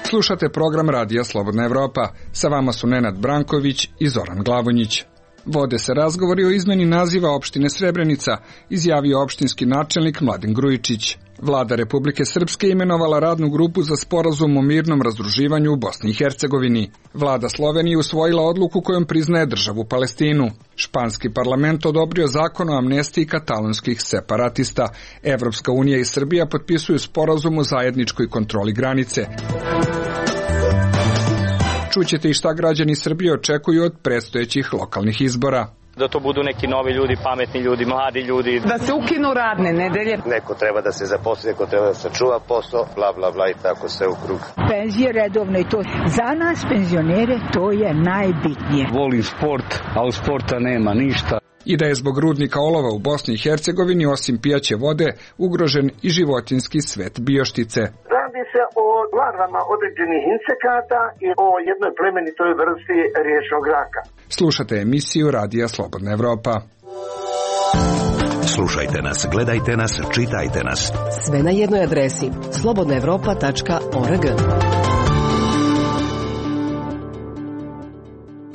Slušate program Radija Slobodna Evropa. Sa vama su Nenad Branković i Zoran Glavonjić. Vode se razgovori o izmeni naziva opštine Srebrenica, izjavio opštinski načelnik Mladen Grujičić. Vlada Republike Srpske imenovala radnu grupu za sporazum o mirnom razdruživanju u Bosni i Hercegovini. Vlada Slovenije usvojila odluku kojom priznaje državu Palestinu. Španski parlament odobrio zakon o amnestiji katalonskih separatista. Evropska unija i Srbija potpisuju sporazum o zajedničkoj kontroli granice. Čućete i šta građani Srbije očekuju od predstojećih lokalnih izbora. Da to budu neki novi ljudi, pametni ljudi, mladi ljudi. Da se ukinu radne nedelje. Neko treba da se zaposli, neko treba da sačuva posao, bla bla bla i tako sve u krug. Penzije redovne i to. Za nas penzionere to je najbitnije. Volim sport, a u sporta nema ništa. I da je zbog rudnika olova u Bosni i Hercegovini osim pijaće vode ugrožen i životinjski svet Bioštice. Radi se o larvama određenih insekata i o jednoj plemenitoj vrsti riječnog raka. Slušate emisiju Radija Slobodna Evropa. Slušajte nas, gledajte nas, čitajte nas. Sve na jednoj adresi slobodnaevropa.org.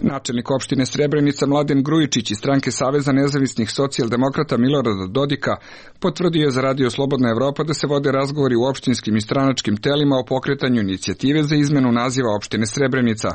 Načelnik opštine Srebrenica Mladen Grujičić iz stranke Saveza nezavisnih socijaldemokrata Milorada Dodika potvrdio je za Radio Slobodna Evropa da se vode razgovori u opštinskim i stranačkim telima o pokretanju inicijative za izmenu naziva opštine Srebrenica.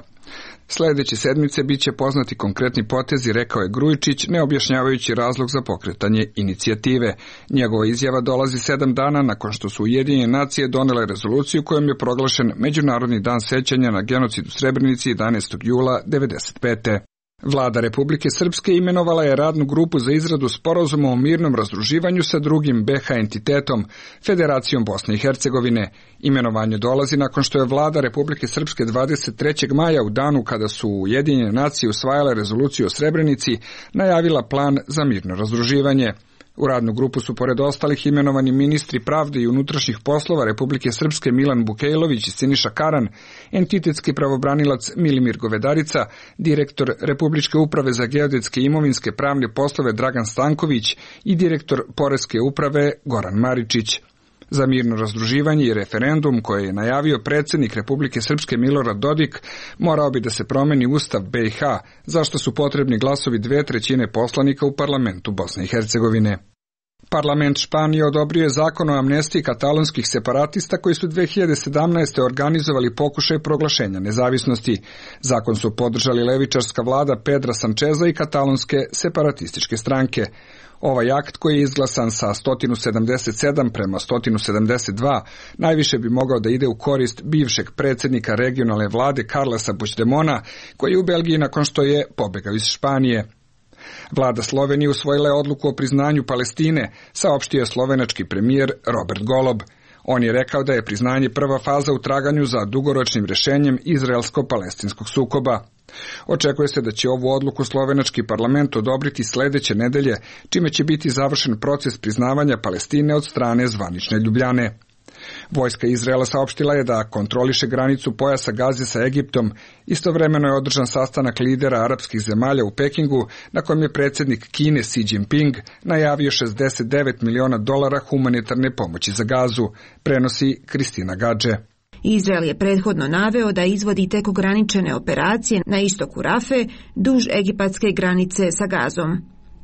Sledeće sedmice biće poznati konkretni potezi, rekao je Grujičić, ne objašnjavajući razlog za pokretanje inicijative. Njegova izjava dolazi 7 dana nakon što su Ujedinjene nacije donele rezoluciju kojom je proglašen Međunarodni dan sećanja na genocid u Srebrenici 11. jula 1995. Vlada Republike Srpske imenovala je radnu grupu za izradu sporazuma o mirnom razdruživanju sa drugim BiH entitetom, Federacijom Bosne i Hercegovine. Imenovanje dolazi nakon što je Vlada Republike Srpske 23. maja u danu kada su Ujedinjene nacije usvajale rezoluciju o Srebrenici, najavila plan za mirno razdruživanje. U radnu grupu su pored ostalih imenovani ministri pravde i unutrašnjih poslova Republike Srpske Milan Bukejlović i Siniša Karan, entitetski pravobranilac Milimir Govedarica, direktor Republičke uprave za geodetske i imovinske pravne poslove Dragan Stanković i direktor Poreske uprave Goran Maričić. Za mirno razdruživanje i referendum koje je najavio predsjednik Republike Srpske Milorad Dodik morao bi da se promeni Ustav BiH, zašto su potrebni glasovi 2/3 poslanika u parlamentu Bosne i Hercegovine. Parlament Španije odobrio je zakon o amnestiji katalonskih separatista koji su 2017. organizovali pokušaj proglašenja nezavisnosti. Zakon su podržali levičarska vlada Pedra Sančeza i katalonske separatističke stranke. Ovaj akt koji je izglasan sa 177 prema 172 najviše bi mogao da ide u korist bivšeg predsjednika regionalne vlade Carlesa Puigdemona, koji je u Belgiji nakon što je pobegao iz Španije. Vlada Slovenije usvojila je odluku o priznanju Palestine, saopštio je slovenački premijer Robert Golob. On je rekao da je priznanje prva faza u traganju za dugoročnim rješenjem izraelsko-palestinskog sukoba. Očekuje se da će ovu odluku slovenački parlament odobriti sledeće nedelje, čime će biti završen proces priznavanja Palestine od strane zvanične Ljubljane. Vojska Izraela saopštila je da kontroliše granicu pojasa Gaze sa Egiptom. Istovremeno je održan sastanak lidera arapskih zemalja u Pekingu, na kojem je predsjednik Kine Xi Jinping najavio $69 miliona humanitarne pomoći za Gazu, prenosi Kristina Gadže. Izrael je prethodno naveo da izvodi tek ograničene operacije na istoku Rafe, duž egipatske granice sa Gazom.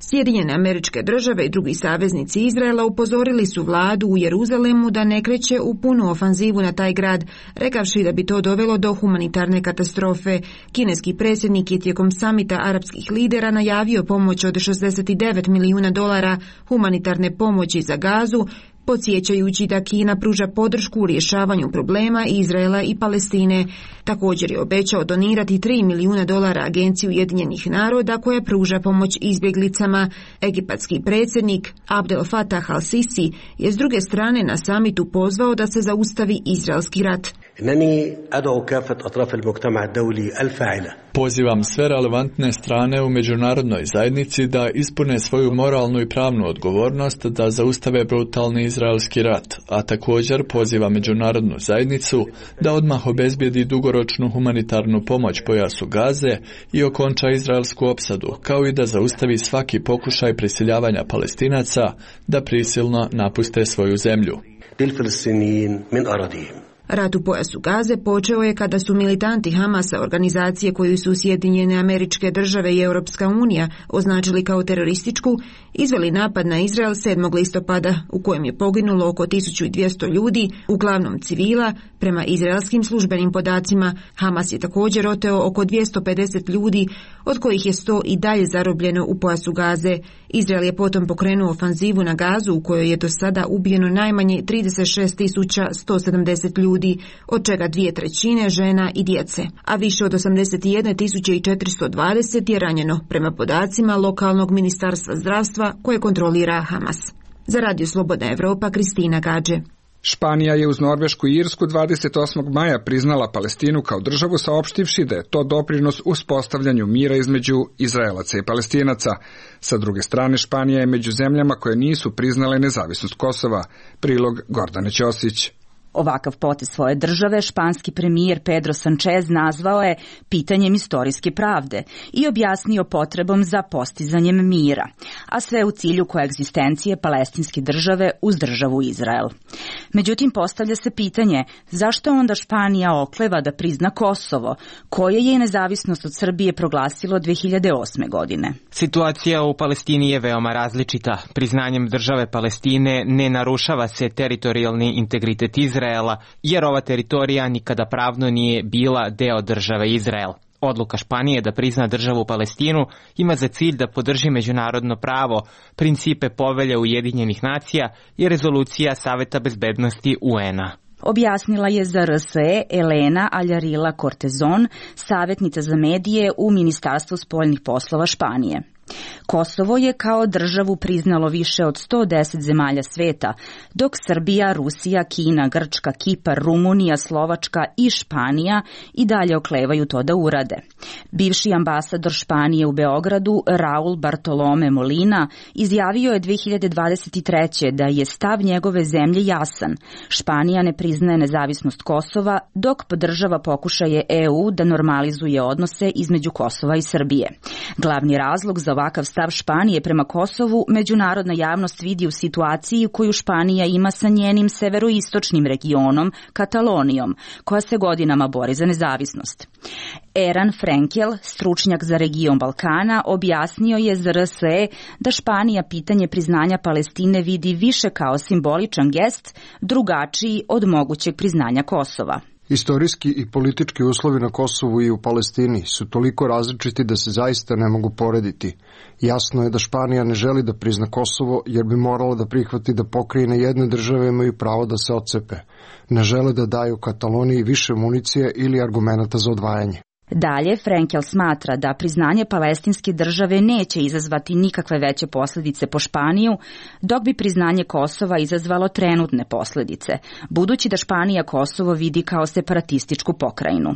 Sjedinjene Američke Države i drugi saveznici Izraela upozorili su vladu u Jeruzalemu da ne kreće u punu ofanzivu na taj grad, rekavši da bi to dovelo do humanitarne katastrofe. Kineski predsjednik je tijekom samita arapskih lidera najavio pomoć od $69 milijuna humanitarne pomoći za Gazu, podsjećajući da Kina pruža podršku u rješavanju problema Izraela i Palestine. Također je obećao donirati $3 milijuna Agenciji Ujedinjenih naroda koja pruža pomoć izbjeglicama. Egipatski predsjednik Abdel Fattah al-Sisi je s druge strane na samitu pozvao da se zaustavi izraelski rat. Pozivam sve relevantne strane u međunarodnoj zajednici da ispune svoju moralnu i pravnu odgovornost da zaustave brutalni izraelski rat, a također pozivam međunarodnu zajednicu da odmah obezbijedi dugoročnu humanitarnu pomoć pojasu Gaze i okonča izraelsku opsadu, kao i da zaustavi svaki pokušaj prisiljavanja Palestinaca da prisilno napuste svoju zemlju. Rat u pojasu Gaze počeo je kada su militanti Hamasa, organizacije koju su Sjedinjene Američke Države i Europska unija označili kao terorističku, izveli napad na Izrael 7. listopada u kojem je poginulo oko 1200 ljudi, uglavnom civila. Prema izraelskim službenim podacima, Hamas je također oteo oko 250 ljudi, od kojih je 100 i dalje zarobljeno u pojasu Gaze. Izrael je potom pokrenuo ofanzivu na Gazu u kojoj je do sada ubijeno najmanje 36.170 ljudi, od čega 2/3 žena i djece, a više od 81.420 je ranjeno, prema podacima lokalnog ministarstva zdravstva koje kontrolira Hamas. Za Radio Slobodna Evropa, Kristina Gađe. Španija je uz Norvešku i Irsku 28. maja priznala Palestinu kao državu, saopštivši da je to doprinos uspostavljanju mira između Izraelaca i Palestinaca. Sa druge strane, Španija je među zemljama koje nisu priznale nezavisnost Kosova. Prilog Gordane Ćosić. Ovakav potez svoje države španski premijer Pedro Sanchez nazvao je pitanjem istorijske pravde i objasnio potrebom za postizanjem mira, a sve u cilju koegzistencije palestinske države uz državu Izrael. Međutim, postavlja se pitanje zašto onda Španija okleva da prizna Kosovo, koje je nezavisnost od Srbije proglasilo 2008. godine. Situacija u Palestini je veoma različita. Priznanjem države Palestine ne narušava se teritorijalni integritet Izraela, jer ova teritorija nikada pravno nije bila deo države Izrael. Odluka Španije da prizna državu Palestinu ima za cilj da podrži međunarodno pravo, principe povelje Ujedinjenih nacija i rezolucija Saveta bezbednosti UN-a. Objasnila je za RSE Elena Aljarila Cortezon, savjetnica za medije u Ministarstvu spoljnih poslova Španije. Kosovo je kao državu priznalo više od 110 zemalja sveta, dok Srbija, Rusija, Kina, Grčka, Kipar, Rumunija, Slovačka i Španija i dalje oklevaju to da urade. Bivši ambasador Španije u Beogradu, Raul Bartolome Molina, izjavio je 2023. da je stav njegove zemlje jasan. Španija ne priznaje nezavisnost Kosova, dok podržava pokušaje EU da normalizuje odnose između Kosova i Srbije. Glavni razlog za ovakav stav Španije prema Kosovu međunarodna javnost vidi u situaciji koju Španija ima sa njenim severoistočnim regionom, Katalonijom, koja se godinama bori za nezavisnost. Eran Frenkel, stručnjak za region Balkana, objasnio je za RSE da Španija pitanje priznanja Palestine vidi više kao simboličan gest, drugačiji od mogućeg priznanja Kosova. Istorijski i politički uslovi na Kosovu i u Palestini su toliko različiti da se zaista ne mogu porediti. Jasno je da Španija ne želi da prizna Kosovo jer bi morala da prihvati da pokrajine jedne države imaju pravo da se otcepe. Ne žele da daju Kataloniji više municije ili argumenata za odvajanje. Dalje, Frenkel smatra da priznanje palestinske države neće izazvati nikakve veće posljedice po Španiju, dok bi priznanje Kosova izazvalo trenutne posljedice, budući da Španija Kosovo vidi kao separatističku pokrajinu.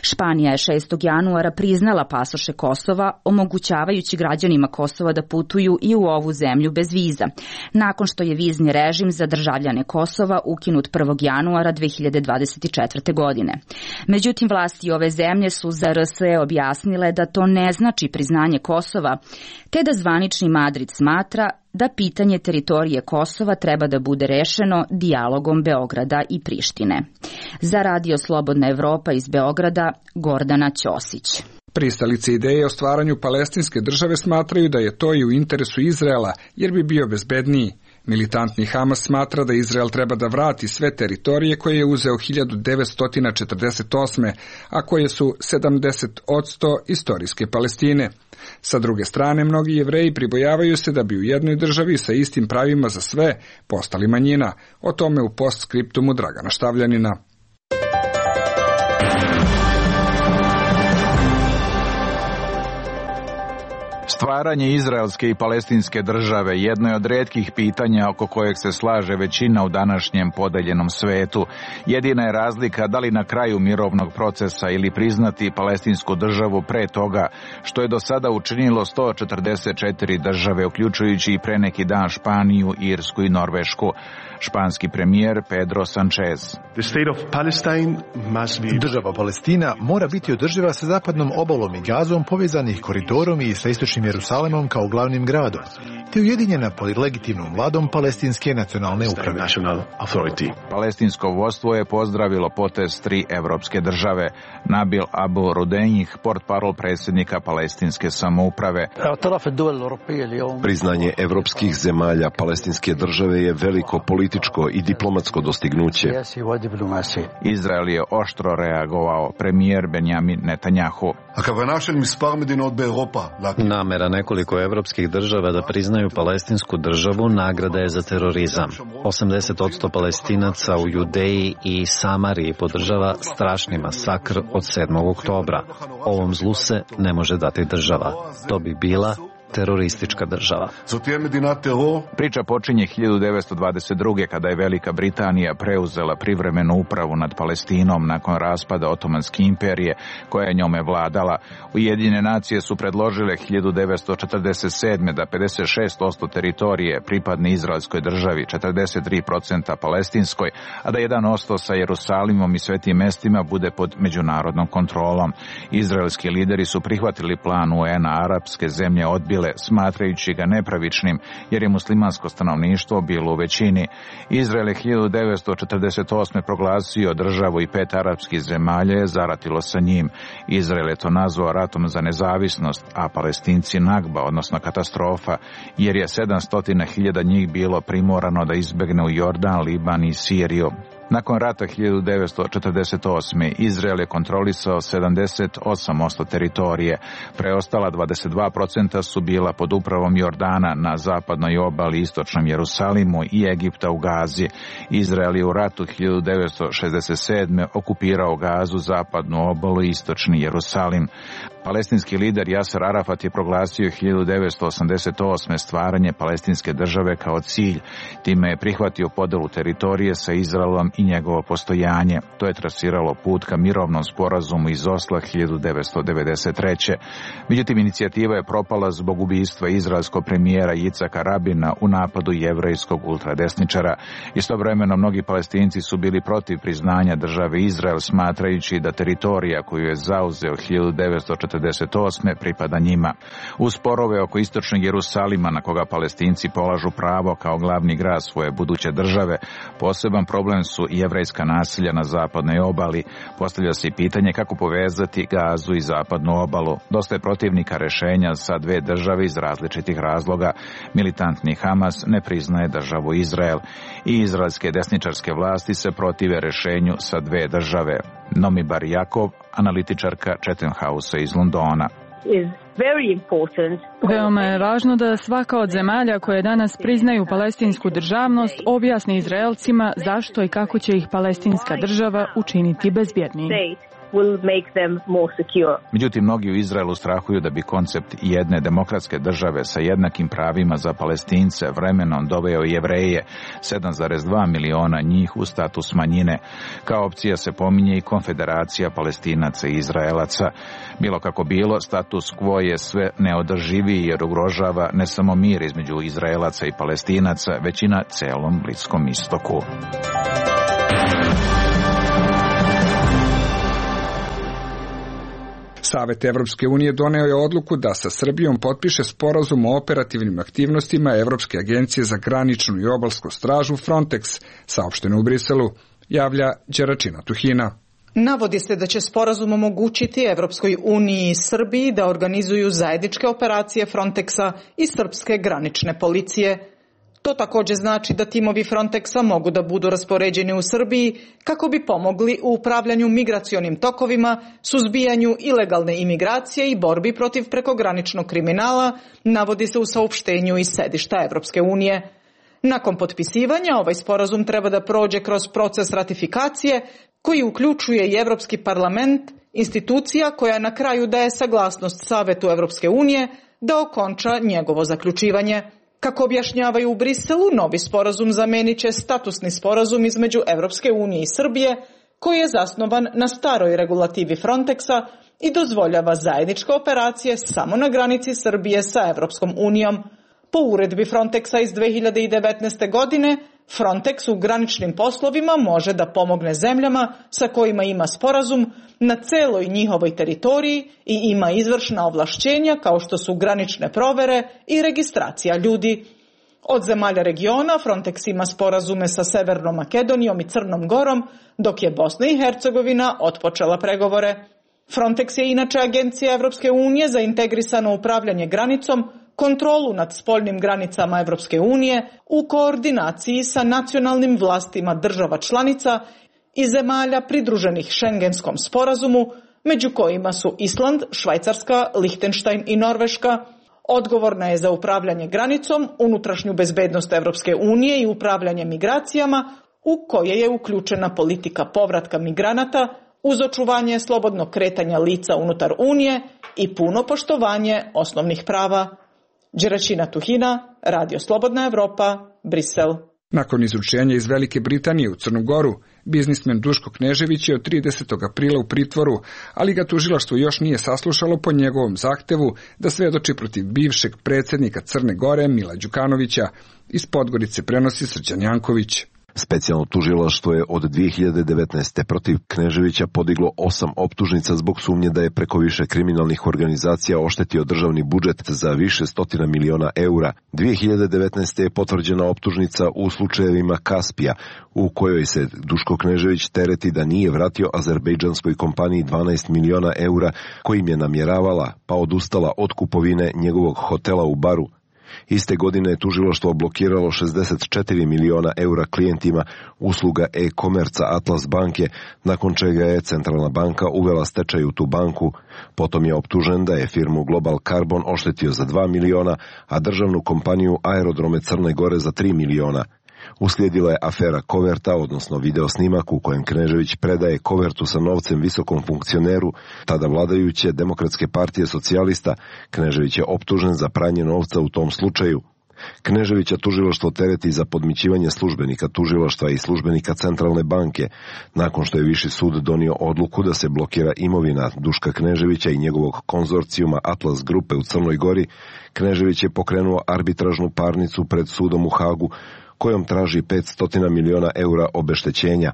Španija je 6. januara priznala pasoše Kosova, omogućavajući građanima Kosova da putuju i u ovu zemlju bez viza, nakon što je vizni režim za državljane Kosova ukinut 1. januara 2024. godine. Međutim, vlasti ove zemlje su za RSE objasnile da to ne znači priznanje Kosova, te da zvanični Madrid smatra da pitanje teritorije Kosova treba da bude rešeno dijalogom Beograda i Prištine. Za Radio Slobodna Evropa iz Beograda, Gordana Ćosić. Pristalice ideje o stvaranju palestinske države smatraju da je to i u interesu Izraela, jer bi bio bezbedniji. Militantni Hamas smatra da Izrael treba da vrati sve teritorije koje je uzeo 1948. a koje su 70% istorijske Palestine. Sa druge strane, mnogi Jevreji pribojavaju se da bi u jednoj državi sa istim pravima za sve postali manjina. O tome u postskriptumu Dragana Štavljanina. Stvaranje izraelske i palestinske države jedno je od retkih pitanja oko kojeg se slaže većina u današnjem podeljenom svetu. Jedina je razlika da li na kraju mirovnog procesa ili priznati palestinsku državu pre toga, što je do sada učinilo 144 države, uključujući i pre neki dan Španiju, Irsku i Norvešku. Španski premijer Pedro Sanchez. Država Palestina mora biti održiva sa zapadnom obalom i Gazom, povezanih koridorom i sa istočnim Jerusalemom kao glavnim gradom, te ujedinjena pod legitimnom vladom palestinske nacionalne uprave. Palestinsko vodstvo je pozdravilo potez 3 evropske države. Nabil Abu Rudenjih, portparol predsjednika palestinske samouprave. Priznanje evropskih zemalja palestinske države je veliko političko i diplomatsko dostignuće. Izrael je oštro reagovao. Premijer Benjamin Netanjahu. Namera nekoliko evropskih država da priznaju palestinsku državu nagrada je za terorizam. 80% Palestinaca u Judeji i Samariji podržava strašni masakr od 7. oktobra. Ovom zlu se ne može dati država. To bi bila teroristička država. Priča počinje 1922. kada je Velika Britanija preuzela privremenu upravu nad Palestinom nakon raspada Otomanske imperije koja je njome vladala. Ujedinjene nacije su predložile 1947. da 56% teritorije pripadne izraelskoj državi, 43% palestinskoj, a da 1% sa Jerusalimom i svetim mestima bude pod međunarodnom kontrolom. Izraelski lideri su prihvatili plan UN-a, arapske zemlje odbile, smatrajući ga nepravičnim, jer je muslimansko stanovništvo bilo u većini. Izrael je 1948. proglasio državu i 5 arapskih zemalja je zaratilo sa njim. Izrael je to nazvao ratom za nezavisnost, a Palestinci Nagba, odnosno katastrofa, jer je 700.000 njih bilo primorano da izbegne u Jordan, Liban i Siriju. Nakon rata 1948. Izrael je kontrolisao 78% teritorije. Preostala 22% su bila pod upravom Jordana na zapadnoj obali, istočnom Jerusalimu i Egipta u Gazi. Izrael je u ratu 1967. okupirao Gazu, zapadnu obalu i istočni Jerusalim. Palestinski lider Jaser Arafat je proglasio 1988. stvaranje palestinske države kao cilj. Time je prihvatio podelu teritorije sa Izraelom i njegovo postojanje. To je trasiralo put ka mirovnom sporazumu iz Osla 1993. Međutim, inicijativa je propala zbog ubistva izraelskog premijera Jicaka Rabina u napadu jevrejskog ultradesničara. Istovremeno, mnogi Palestinci su bili protiv priznanja države Izrael, smatrajući da teritorija koju je zauzeo 1948. pripada njima. Uz sporove oko istočnog Jerusalima, na koga Palestinci polažu pravo kao glavni grad svoje buduće države, poseban problem su i jevrejska naselja na zapadnoj obali. Postavlja se i pitanje kako povezati Gazu i zapadnu obalu. Dosta je protivnika rešenja sa 2 države iz različitih razloga. Militantni Hamas ne priznaje državu Izrael i izraelske desničarske vlasti se protive rešenju sa 2 države. Nomi Bar Jakov, analitičarka Chatham House iz Londona. Veoma je važno da svaka od zemalja koje danas priznaju palestinsku državnost objasni Izraelcima zašto i kako će ih palestinska država učiniti bezbjednijim. Međutim, mnogi u Izraelu strahuju da bi koncept jedne demokratske države sa jednakim pravima za Palestince vremenom doveo Jevreje, 7,2 miliona njih, u status manjine. Kao opcija se pominje i konfederacija Palestinaca i Izraelaca. Bilo kako bilo, status quo je sve neodrživiji jer ugrožava ne samo mir između Izraelaca i Palestinaca, već i na celom Bliskom istoku. Savet Evropske unije doneo je odluku da sa Srbijom potpiše sporazum o operativnim aktivnostima Evropske agencije za graničnu i obalsku stražu Frontex, saopšteno u Briselu, javlja Đeračina Tuhina. Navodi se da će sporazum omogućiti Evropskoj uniji i Srbiji da organizuju zajedničke operacije Frontexa i srpske granične policije. To također znači da timovi Frontexa mogu da budu raspoređeni u Srbiji kako bi pomogli u upravljanju migracionim tokovima, suzbijanju ilegalne imigracije i borbi protiv prekograničnog kriminala, navodi se u saopštenju iz sedišta Evropske unije. Nakon potpisivanja, ovaj sporazum treba da prođe kroz proces ratifikacije koji uključuje i Evropski parlament, institucija koja na kraju daje saglasnost Savetu Evropske unije, da okonča njegovo zaključivanje. Kako objašnjavaju u Briselu, novi sporazum zamenit će statusni sporazum između Evropske unije i Srbije, koji je zasnovan na staroj regulativi Frontexa i dozvoljava zajedničke operacije samo na granici Srbije sa Evropskom unijom. Po uredbi Frontexa iz 2019. godine, Frontex u graničnim poslovima može da pomogne zemljama sa kojima ima sporazum na celoj njihovoj teritoriji i ima izvršna ovlašćenja kao što su granične provere i registracija ljudi. Od zemalja regiona Frontex ima sporazume sa Severnom Makedonijom i Crnom Gorom, dok je Bosna i Hercegovina otpočela pregovore. Frontex je inače agencija Evropske unije za integrisano upravljanje granicom, kontrolu nad spoljnim granicama Evropske unije u koordinaciji sa nacionalnim vlastima država članica i zemalja pridruženih Šengenskom sporazumu, među kojima su Island, Švajcarska, Lihtenštajn i Norveška. Odgovorna je za upravljanje granicom, unutrašnju bezbednost Evropske unije i upravljanje migracijama, u koje je uključena politika povratka migranata uz očuvanje slobodnog kretanja lica unutar Unije i puno poštovanje osnovnih prava. Đeračina Tuhina, Radio Slobodna Evropa, Brisel. Nakon izručenja iz Velike Britanije u Crnu Goru, biznismen Duško Knežević je od 30. aprila u pritvoru, ali ga tužilaštvo još nije saslušalo po njegovom zahtevu da svedoči protiv bivšeg predsjednika Crne Gore Mila Đukanovića. Iz Podgorice prenosi Srđan Janković. Specijalno tužilaštvo je od 2019. protiv Kneževića podiglo 8 optužnica zbog sumnje da je preko više kriminalnih organizacija oštetio državni budžet za više stotina miliona eura. 2019. je potvrđena optužnica u slučajevima Kaspija, u kojoj se Duško Knežević tereti da nije vratio azerbejdžanskoj kompaniji 12 miliona eura kojim je namjeravala, pa odustala od kupovine njegovog hotela u Baru. Iste godine je tužilaštvo blokiralo 64 miliona eura klijentima usluga e-komerca Atlas banke, nakon čega je Centralna banka uvela stečaj u tu banku. Potom je optužen da je firmu Global Carbon oštetio za 2 miliona, a državnu kompaniju Aerodrome Crne Gore za 3 miliona. Uslijedila je afera koverta, odnosno videosnimak u kojem Knežević predaje kovertu sa novcem visokom funkcioneru, tada vladajuće Demokratske partije socijalista. Knežević je optužen za pranje novca u tom slučaju. Kneževića tužilaštvo tereti za podmićivanje službenika tužilaštva i službenika Centralne banke, nakon što je Viši sud donio odluku da se blokira imovina Duška Kneževića i njegovog konzorcijuma Atlas grupe u Crnoj Gori. Knežević je pokrenuo arbitražnu parnicu pred sudom u Hagu, kojom traži 500 miliona eura obeštećenja.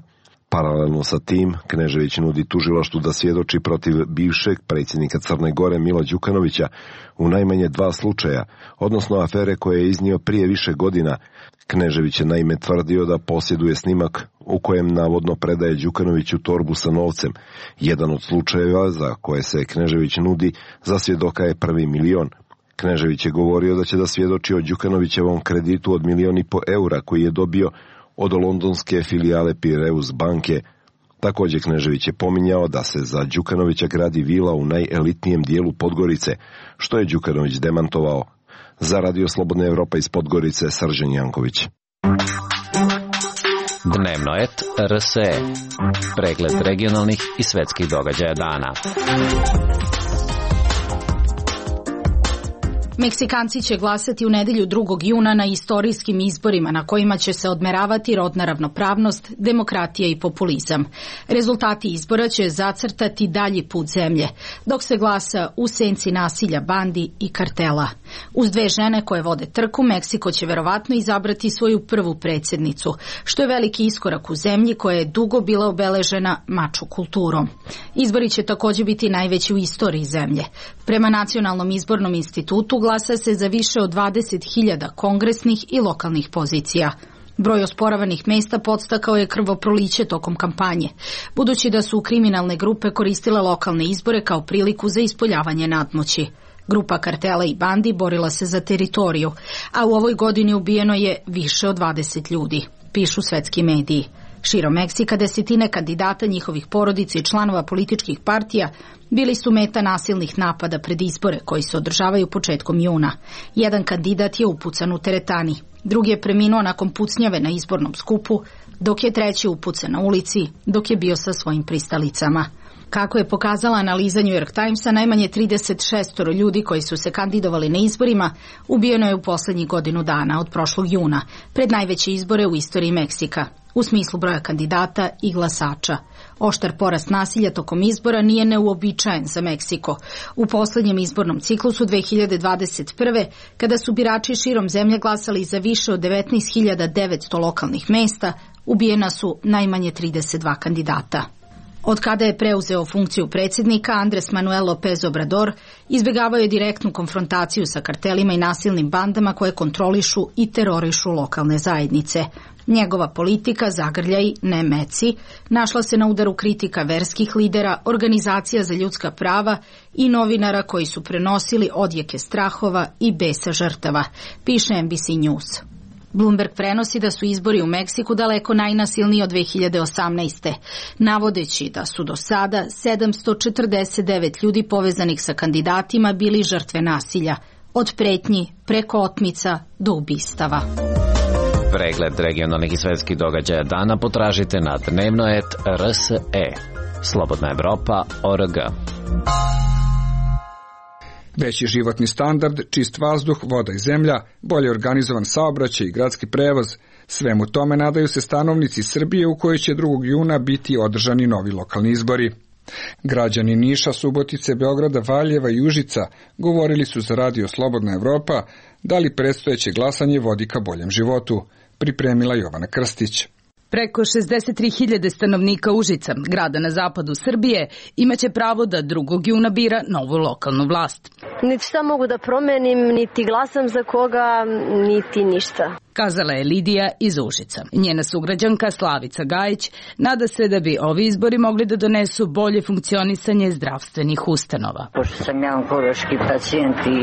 Paralelno sa tim, Knežević nudi tužilaštvu da svjedoči protiv bivšeg predsjednika Crne Gore Mila Đukanovića u najmanje 2 slučaja, odnosno afere koje je iznio prije više godina. Knežević je naime tvrdio da posjeduje snimak u kojem navodno predaje Đukanoviću torbu sa novcem. Jedan od slučajeva za koje se Knežević nudi za svjedoka je 1 milion. Knežević je govorio da će da svjedoči o Đukanovićevom kreditu od 1,5 miliona eura koji je dobio od londonske filijale Piraeus banke. Također Knežević je pominjao da se za Đukanovića gradi vila u najelitnijem dijelu Podgorice, što je Đukanović demantovao. Za Radio Slobodna Evropa iz Podgorice, Srđan Janković. Dnevno et RSE. Pregled regionalnih i svetskih događaja dana. Meksikanci će glasati u nedelju 2. juna na istorijskim izborima na kojima će se odmeravati rodna ravnopravnost, demokratija i populizam. Rezultati izbora će zacrtati dalji put zemlje, dok se glasa u senci nasilja bandi i kartela. Uz 2 žene koje vode trku, Meksiko će verovatno izabrati svoju prvu predsjednicu, što je veliki iskorak u zemlji koja je dugo bila obeležena mačo kulturom. Izbori će također biti najveći u istoriji zemlje. Prema Nacionalnom izbornom institutu glasa se za više od 20.000 kongresnih i lokalnih pozicija. Broj osporavanih mesta podstakao je krvoproliće tokom kampanje, budući da su kriminalne grupe koristile lokalne izbore kao priliku za ispoljavanje nadmoći. Grupa kartela i bandi borila se za teritoriju, a u ovoj godini ubijeno je više od 20 ljudi, pišu svetski mediji. Širom Meksika desetine kandidata, njihovih porodica i članova političkih partija bili su meta nasilnih napada pred izbore koji se održavaju početkom juna. Jedan kandidat je upucan u teretani, drugi je preminuo nakon pucnjave na izbornom skupu, dok je treći upucan na ulici dok je bio sa svojim pristalicama. Kako je pokazala analiza New York Timesa, najmanje 36 ljudi koji su se kandidovali na izborima ubijeno je u poslednjih godinu dana od prošlog juna, pred najveće izbore u istoriji Meksika, u smislu broja kandidata i glasača. Oštar porast nasilja tokom izbora nije neuobičajen za Meksiko. U poslednjem izbornom ciklusu 2021. kada su birači širom zemlje glasali za više od 19.900 lokalnih mesta, ubijena su najmanje 32 kandidata. Od kada je preuzeo funkciju predsjednika, Andres Manuel López Obrador izbjegavao je direktnu konfrontaciju sa kartelima i nasilnim bandama koje kontrolišu i terorišu lokalne zajednice. Njegova politika zagrljaj, ne meci, našla se na udaru kritika verskih lidera, organizacija za ljudska prava i novinara koji su prenosili odjeke strahova i besa žrtava, piše NBC News. Bloomberg prenosi da su izbori u Meksiku daleko najnasilniji od 2018. navodeći da su do sada 749 ljudi povezanih sa kandidatima bili žrtve nasilja, od pretnji preko otmica do ubistava. Pregled regionalnih i svetskih događaja dana potražite na dnevno.rs.e. Slobodna Evropa.org. Veći životni standard, čist vazduh, voda i zemlja, bolje organizovan saobraćaj i gradski prevoz. Svemu tome nadaju se stanovnici Srbije u kojoj će 2. juna biti održani novi lokalni izbori. Građani Niša, Subotice, Beograda, Valjeva i Užica govorili su za radio Slobodna Evropa da li predstojeće glasanje vodi ka boljem životu, pripremila Jovana Krstić. Preko 63.000 stanovnika Užica, grada na zapadu Srbije, imaće pravo da 2. juna bira novu lokalnu vlast. Niti šta mogu da promenim, niti glasam za koga, niti ništa. Kazala je Lidija iz Užica. Njena sugrađanka Slavica Gajić nada se da bi ovi izbori mogli da donesu bolje funkcionisanje zdravstvenih ustanova. Pošto sam ja onkološki pacijent i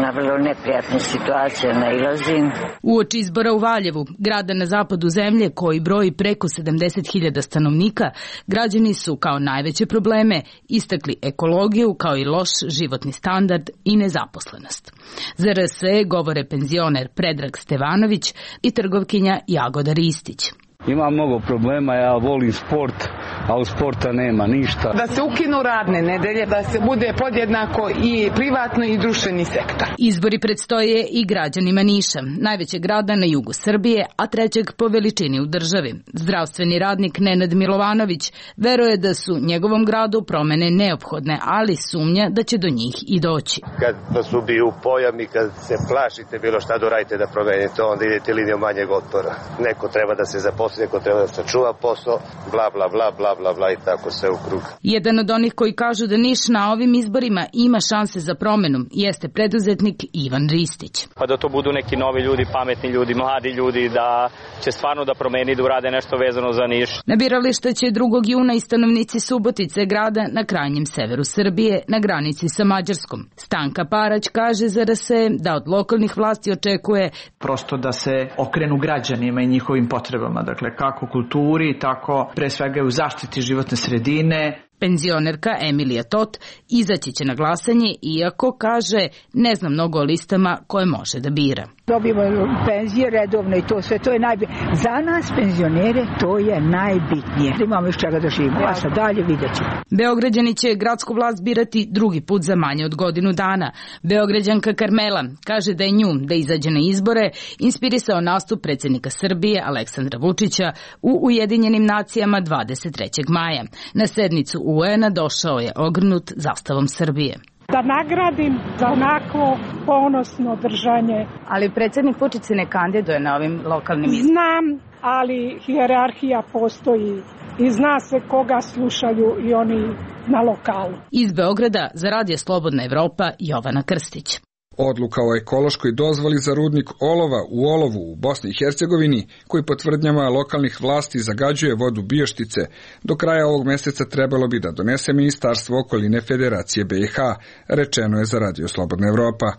na vrlo neprijatne situacije nailazim. Uoči izbora u Valjevu, grada na zapadu zemlje koji broji preko 70.000 stanovnika, građani su kao najveće probleme istakli ekologiju kao i loš životni standard i nezaposlenost. Za RSE govore penzioner Predrag Stevanović i trgovkinja Jagoda Ristić. Ima mnogo problema, ja volim sport, a u sporta nema ništa. Da se ukinu radne nedelje, da se bude podjednako i privatno i društveni sektor. Izbori predstoje i građanima Niša, najvećeg grada na jugu Srbije, a trećeg po veličini u državi. Zdravstveni radnik Nenad Milovanović veruje da su njegovom gradu promene neophodne, ali sumnja da će do njih i doći. Kad vas ubiju pojam i kad se plašite bilo šta doradite da promenite, onda idete linijom manjeg otpora. Neko treba da se zaposli, neko treba da sačuva posao, bla bla bla bla bla bla i tako sve u krug. Jedan od onih koji kažu da Niš na ovim izborima ima šanse za promenu jeste preduzetnik Ivan Ristić. Pa da to budu neki novi ljudi, pametni ljudi, mladi ljudi, da će stvarno da promeni, da urade nešto vezano za Niš. Na birališta će 2. juna i stanovnici Subotice, grada na krajnjem severu Srbije, na granici sa Mađarskom. Stanka Parać kaže za RSE da od lokalnih vlasti očekuje prosto da se okrenu građanima i njihovim potrebama, dakle kako kulturi, tako pre svega u zaštiti životne sredine. Penzionerka Emilija Tot izaći će na glasanje, iako kaže ne zna mnogo o listama koje može da bira. Dobijemo penzije redovno i to sve, to je najbitnije. Za nas penzionere to je najbitnije. Imamo iz čega da živimo, a sad dalje vidjet ćemo. Beograđani će gradsku vlast birati 2. put za manje od godinu dana. Beograđanka Karmela kaže da je nju da izađe na izbore inspirisao nastup predsjednika Srbije Aleksandra Vučića u Ujedinjenim nacijama 23. maja. Na sednicu UN-a došao je ogrnut zastavom Srbije. Da nagradim za onako ponosno držanje. Ali predsjednik Vučić se ne kandiduje na ovim lokalnim izborima. Znam, ali hijerarhija postoji i zna se koga slušaju i oni na lokalu. Iz Beograda za Radio Slobodna Evropa Jovana Krstić. Odluka o ekološkoj dozvoli za rudnik olova u Olovu u Bosni i Hercegovini, koji po tvrdnjama lokalnih vlasti zagađuje vodu Bioštice, do kraja ovog meseca trebalo bi da donese Ministarstvo okoline Federacije BiH, rečeno je za Radio Slobodna Evropa.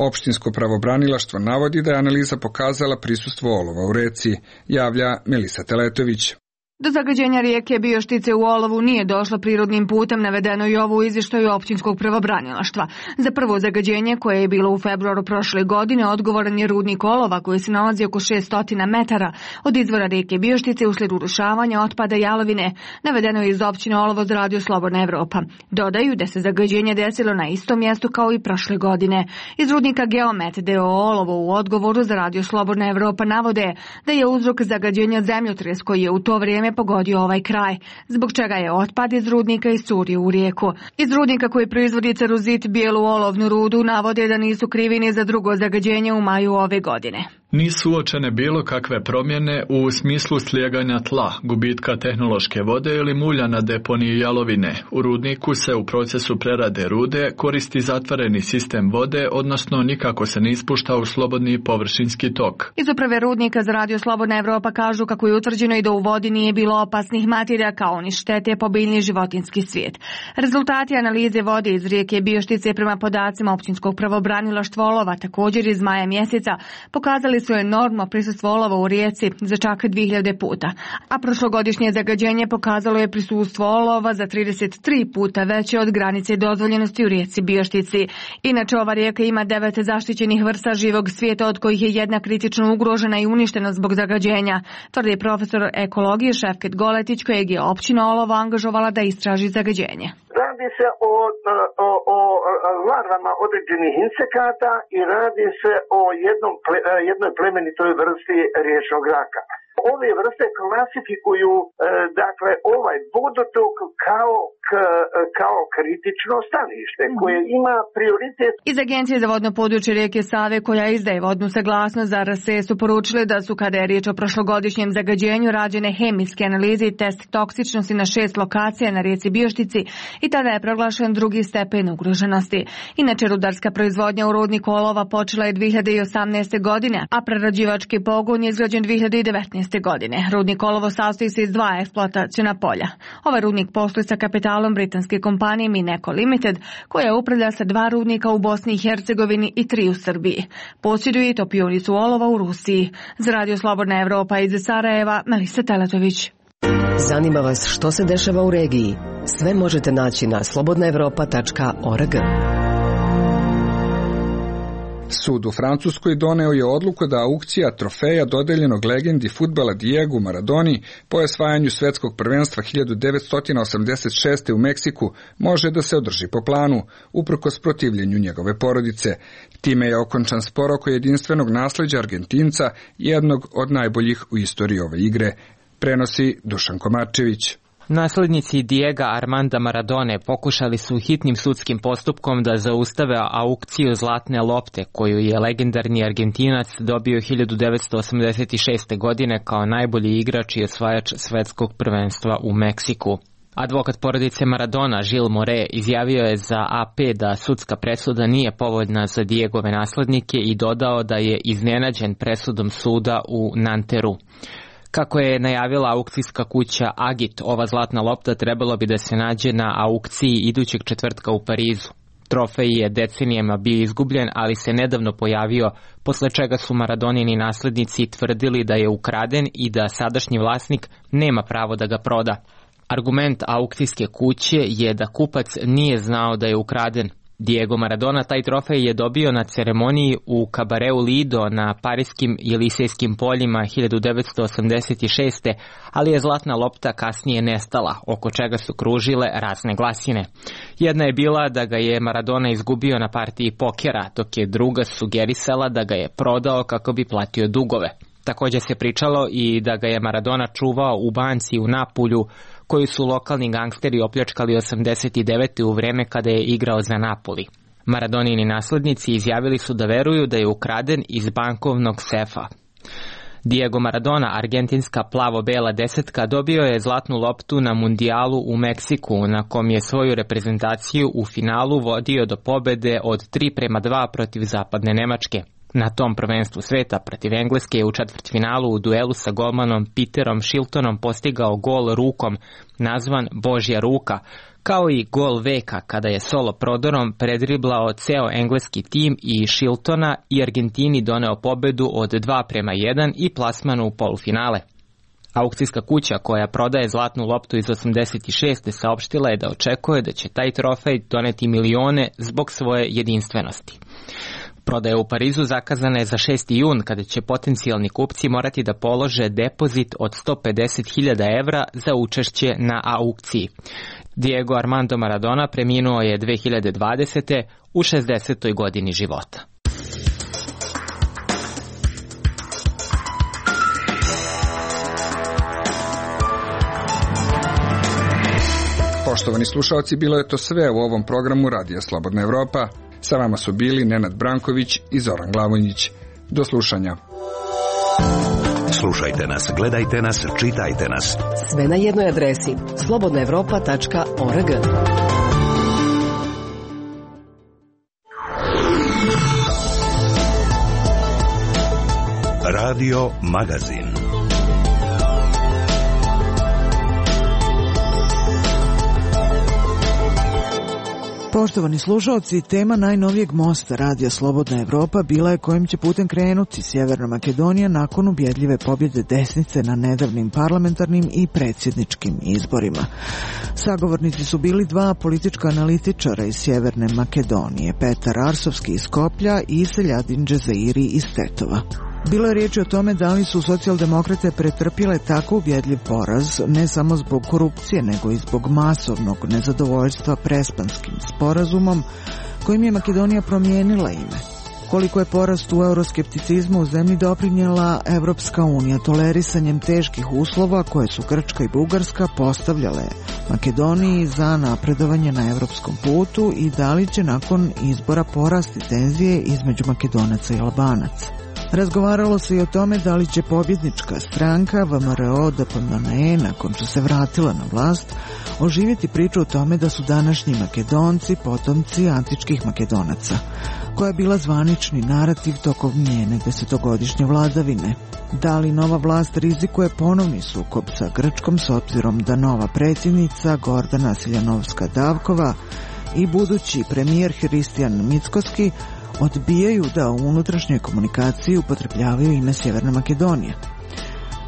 Opštinsko pravobranilaštvo navodi da je analiza pokazala prisustvo olova u reci, javlja Melisa Teletović. Do zagađenja rijeke Bioštice u olovu nije došlo prirodnim putem, navedeno i ovo u izvještaju općinskog pravobranilaštva. Za prvo zagađenje, koje je bilo u februaru prošle godine, odgovoran je rudnik olova koji se nalazi oko 600 metara od izvora rijeke Bioštice uslijed urušavanja otpada jalovine, navedeno je iz općine Olovo za Radio Slobodna Evropa. Dodaju da se zagađenje desilo na istom mjestu kao i prošle godine. Iz rudnika Geomet d.o. Olovo u odgovoru za Radio Slobodna Evropa navode da je uzrok zagađenja zemljotres koji je u to vrijeme pogodio ovaj kraj, zbog čega je otpad iz rudnika iscurio u rijeku. Iz rudnika koji proizvodi ceruzit, bijelu olovnu rudu, navode da nisu krivi ni za drugo zagađenje u maju ove godine. Nisu uočene bilo kakve promjene u smislu slijeganja tla, gubitka tehnološke vode ili mulja na deponiji jalovine. U rudniku se u procesu prerade rude koristi zatvoreni sistem vode, odnosno nikako se ne ispušta u slobodni površinski tok. Iz uprave rudnika za Radio Slobodna Evropa kažu kako je utvrđeno i da u vodi nije bilo opasnih materija kao ni štete po biljni i životinjski svijet. Rezultati analize vode iz rijeke Bioštice prema podacima općinskog pravobranilaštva Olova također iz maja mjeseca pokazali su enormno prisustvo olova u rijeci za čak 2000 puta, a prošlogodišnje zagađenje pokazalo je prisustvo olova za 33 puta veće od granice dozvoljenosti u rijeci Bioštici. Inače, ova rijeka ima 9 zaštićenih vrsta živog svijeta, od kojih je jedna kritično ugrožena i uništena zbog zagađenja, tvrdi profesor ekologije Šefket Goletić, kojeg je općina Olovo angažovala da istraži zagađenje. Radi se o larvama određenih insekata i radi se o jednoj plemenitoj vrsti riječnog raka. Ove vrste klasifikuju ovaj vodotok kao kritično stanište koje ima prioritet. Iz Agencije za vodno područje rijeke Save, koja izdaje vodnu saglasnost za RSE, su poručili da su, kada je riječ o prošlogodišnjem zagađenju, rađene hemijske analize i test toksičnosti na 6 lokacija na rijeci Bioštici i tada je proglašen drugi stepen ugroženosti. Inače, rudarska proizvodnja u rudniku olova počela je 2018. godine, a prerađivački pogon je izgrađen 2019. godine. Rudnik olovo sastoji se iz 2 eksploataciona polja. Ovaj rudnik posluje sa kapitalom britanske kompanije Mineco Limited, koja upravlja sa 2 rudnika u Bosni i Hercegovini i 3 u Srbiji. Posjeduje i topionicu olova u Rusiji. Za Radio Slobodna Evropa iz Sarajeva, Melisa Teletović. Zanima vas što se dešava u regiji? Sve možete naći na slobodnaevropa.org. Sud u Francuskoj doneo je odluku da aukcija trofeja dodeljenog legendi fudbala Diegu Maradoni po osvajanju svetskog prvenstva 1986. u Meksiku može da se održi po planu, uprkos protivljenju njegove porodice. Time je okončan spor oko jedinstvenog nasleđa Argentinca, jednog od najboljih u istoriji ove igre, prenosi Dušan Komarčević. Naslednici Diega Armanda Maradone pokušali su hitnim sudskim postupkom da zaustave aukciju zlatne lopte koju je legendarni Argentinac dobio 1986. godine kao najbolji igrač i osvajač svetskog prvenstva u Meksiku. Advokat porodice Maradona, Gilles More, izjavio je za AP da sudska presuda nije povoljna za Diegove naslednike i dodao da je iznenađen presudom suda u Nanteru. Kako je najavila aukcijska kuća Agit, ova zlatna lopta trebalo bi da se nađe na aukciji idućeg četvrtka u Parizu. Trofej je decenijama bio izgubljen, ali se nedavno pojavio, posle čega su Maradonini naslednici tvrdili da je ukraden i da sadašnji vlasnik nema pravo da ga proda. Argument aukcijske kuće je da kupac nije znao da je ukraden. Diego Maradona taj trofej je dobio na ceremoniji u kabareu Lido na pariskim i Elisejskim poljima 1986. ali je zlatna lopta kasnije nestala, oko čega su kružile razne glasine. Jedna je bila da ga je Maradona izgubio na partiji pokera, dok je druga sugerisala da ga je prodao kako bi platio dugove. Također se pričalo i da ga je Maradona čuvao u banci u Napulju, koju su lokalni gangsteri opljačkali 89. u vreme kada je igrao za Napoli. Maradonini naslednici izjavili su da veruju da je ukraden iz bankovnog sefa. Diego Maradona, argentinska plavo-bela desetka, dobio je zlatnu loptu na mundijalu u Meksiku, na kom je svoju reprezentaciju u finalu vodio do pobede od 3:2 protiv zapadne Nemačke. Na tom prvenstvu sveta protiv Engleske je u četvrtfinalu u duelu sa golmanom Peterom Shiltonom postigao gol rukom, nazvan Božja ruka, kao i gol veka kada je solo prodorom predriblao ceo engleski tim i Shiltona i Argentini doneo pobedu od 2:1 i plasman u polufinale. Aukcijska kuća koja prodaje zlatnu loptu iz 86. saopštila je da očekuje da će taj trofej doneti milione zbog svoje jedinstvenosti. Prodaja u Parizu zakazana je za 6. jun, kada će potencijalni kupci morati da polože depozit od 150.000 evra za učešće na aukciji. Diego Armando Maradona preminuo je 2020. u 60. godini života. Poštovani slušalci, bilo je to sve u ovom programu Radija Slobodna Evropa. Sa vama su bili Nenad Branković i Zoran Glavonjić. Do slušanja. Slušajte nas, gledajte nas, čitajte nas. Sve na jednoj adresi slobodnaevropa.org. Radio Magazin. Poštovani slušalci, tema najnovijeg mosta Radija Slobodna Evropa bila je kojim će putem krenuti Sjeverna Makedonija nakon ubjedljive pobjede desnice na nedavnim parlamentarnim i predsjedničkim izborima. Sagovornici su bili dva politička analitičara iz Sjeverne Makedonije, Petar Arsovski iz Skoplja i Seljadin Džezairi iz Tetova. Bilo je riječi o tome da li su socijaldemokrate pretrpjele tako ubjedljiv poraz, ne samo zbog korupcije, nego i zbog masovnog nezadovoljstva Prespanskim sporazumom, kojim je Makedonija promijenila ime. Koliko je porast u euroskepticizmu u zemlji doprinijela Evropska unija tolerisanjem teških uslova koje su Grčka i Bugarska postavljale Makedoniji za napredovanje na evropskom putu i da li će nakon izbora porasti tenzije između Makedonaca i Albanaca. Razgovaralo se i o tome da li će pobjednička stranka VMRO-DPMNE, nakon što se vratila na vlast, oživjeti priču o tome da su današnji Makedonci potomci antičkih Makedonaca, koja je bila zvanični narativ tokom njene 10-godišnje vladavine. Da li nova vlast rizikuje ponovni sukob sa Grčkom s obzirom da nova predsjednica Gordana Siljanovska-Davkova i budući premijer Hristijan Mickoski odbijaju da u unutrašnjoj komunikaciji upotrebljavaju ime Sjeverne Makedonije?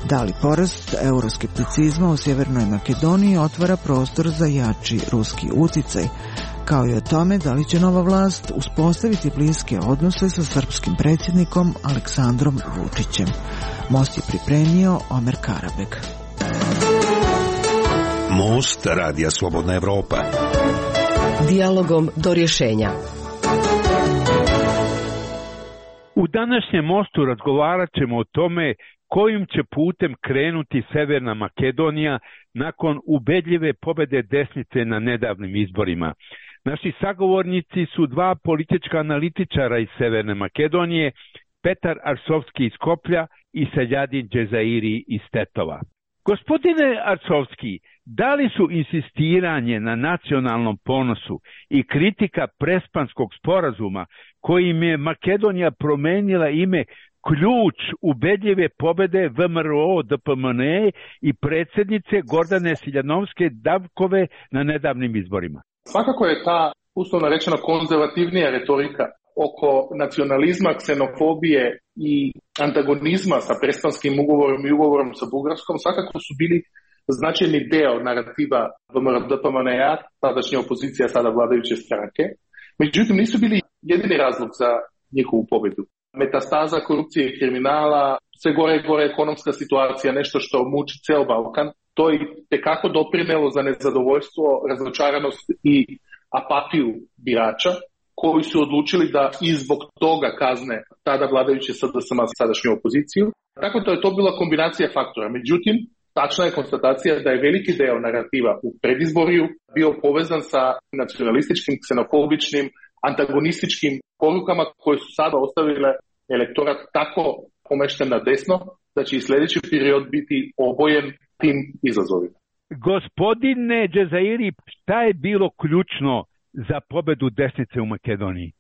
Da li porast euroskepticizma u Sjevernoj Makedoniji otvara prostor za jači ruski uticaj, kao i o tome da li će nova vlast uspostaviti bliske odnose sa srpskim predsjednikom Aleksandrom Vučićem? Most je pripremio Omer Karabek. Most Radija Slobodna Evropa. Dijalogom do rješenja. U današnjem mostu razgovarat ćemo o tome kojim će putem krenuti Severna Makedonija nakon ubedljive pobjede desnice na nedavnim izborima. Naši sagovornici su dva politička analitičara iz Severne Makedonije, Petar Arsovski iz Skoplja i Seljadin Džezairi iz Tetova. Gospodine Arsovski, da li su insistiranje na nacionalnom ponosu i kritika Prespanskog sporazuma kojim je Makedonija promenila ime ključ ubedljive pobjede VMRO-DPMNE i predsjednice Gordane Siljanovske-Davkove na nedavnim izborima? Svakako je ta, uslovno rečeno, konzervativnija retorika oko nacionalizma, ksenofobije i antagonizma sa Prespanskim ugovorom i ugovorom sa Bugarskom svakako su bili značajni deo narativa VMRO-DPMNE, tadašnja opozicija, sada vladajuće stranke. Međutim, nisu bili jedini razlog za njihovu pobjedu. Metastaza korupcije i kriminala, sve gore i gore ekonomska situacija, nešto što muči ceo Balkan, to je tekako doprinelo za nezadovoljstvo, razočaranost i apatiju birača, koji su odlučili da i zbog toga kazne tada vladajuće SDSM sadašnju opoziciju. Tako da je to bila kombinacija faktora. Međutim, tačna je konstatacija da je veliki deo narativa u predizborju bio povezan sa nacionalističkim, ksenofobičnim, antagonističkim porukama koje su sada ostavile elektorat tako pomešten na desno da će i sljedeći period biti obojen tim izazovima. Gospodine Džezairi, šta je bilo ključno za pobjedu desnice u Makedoniji?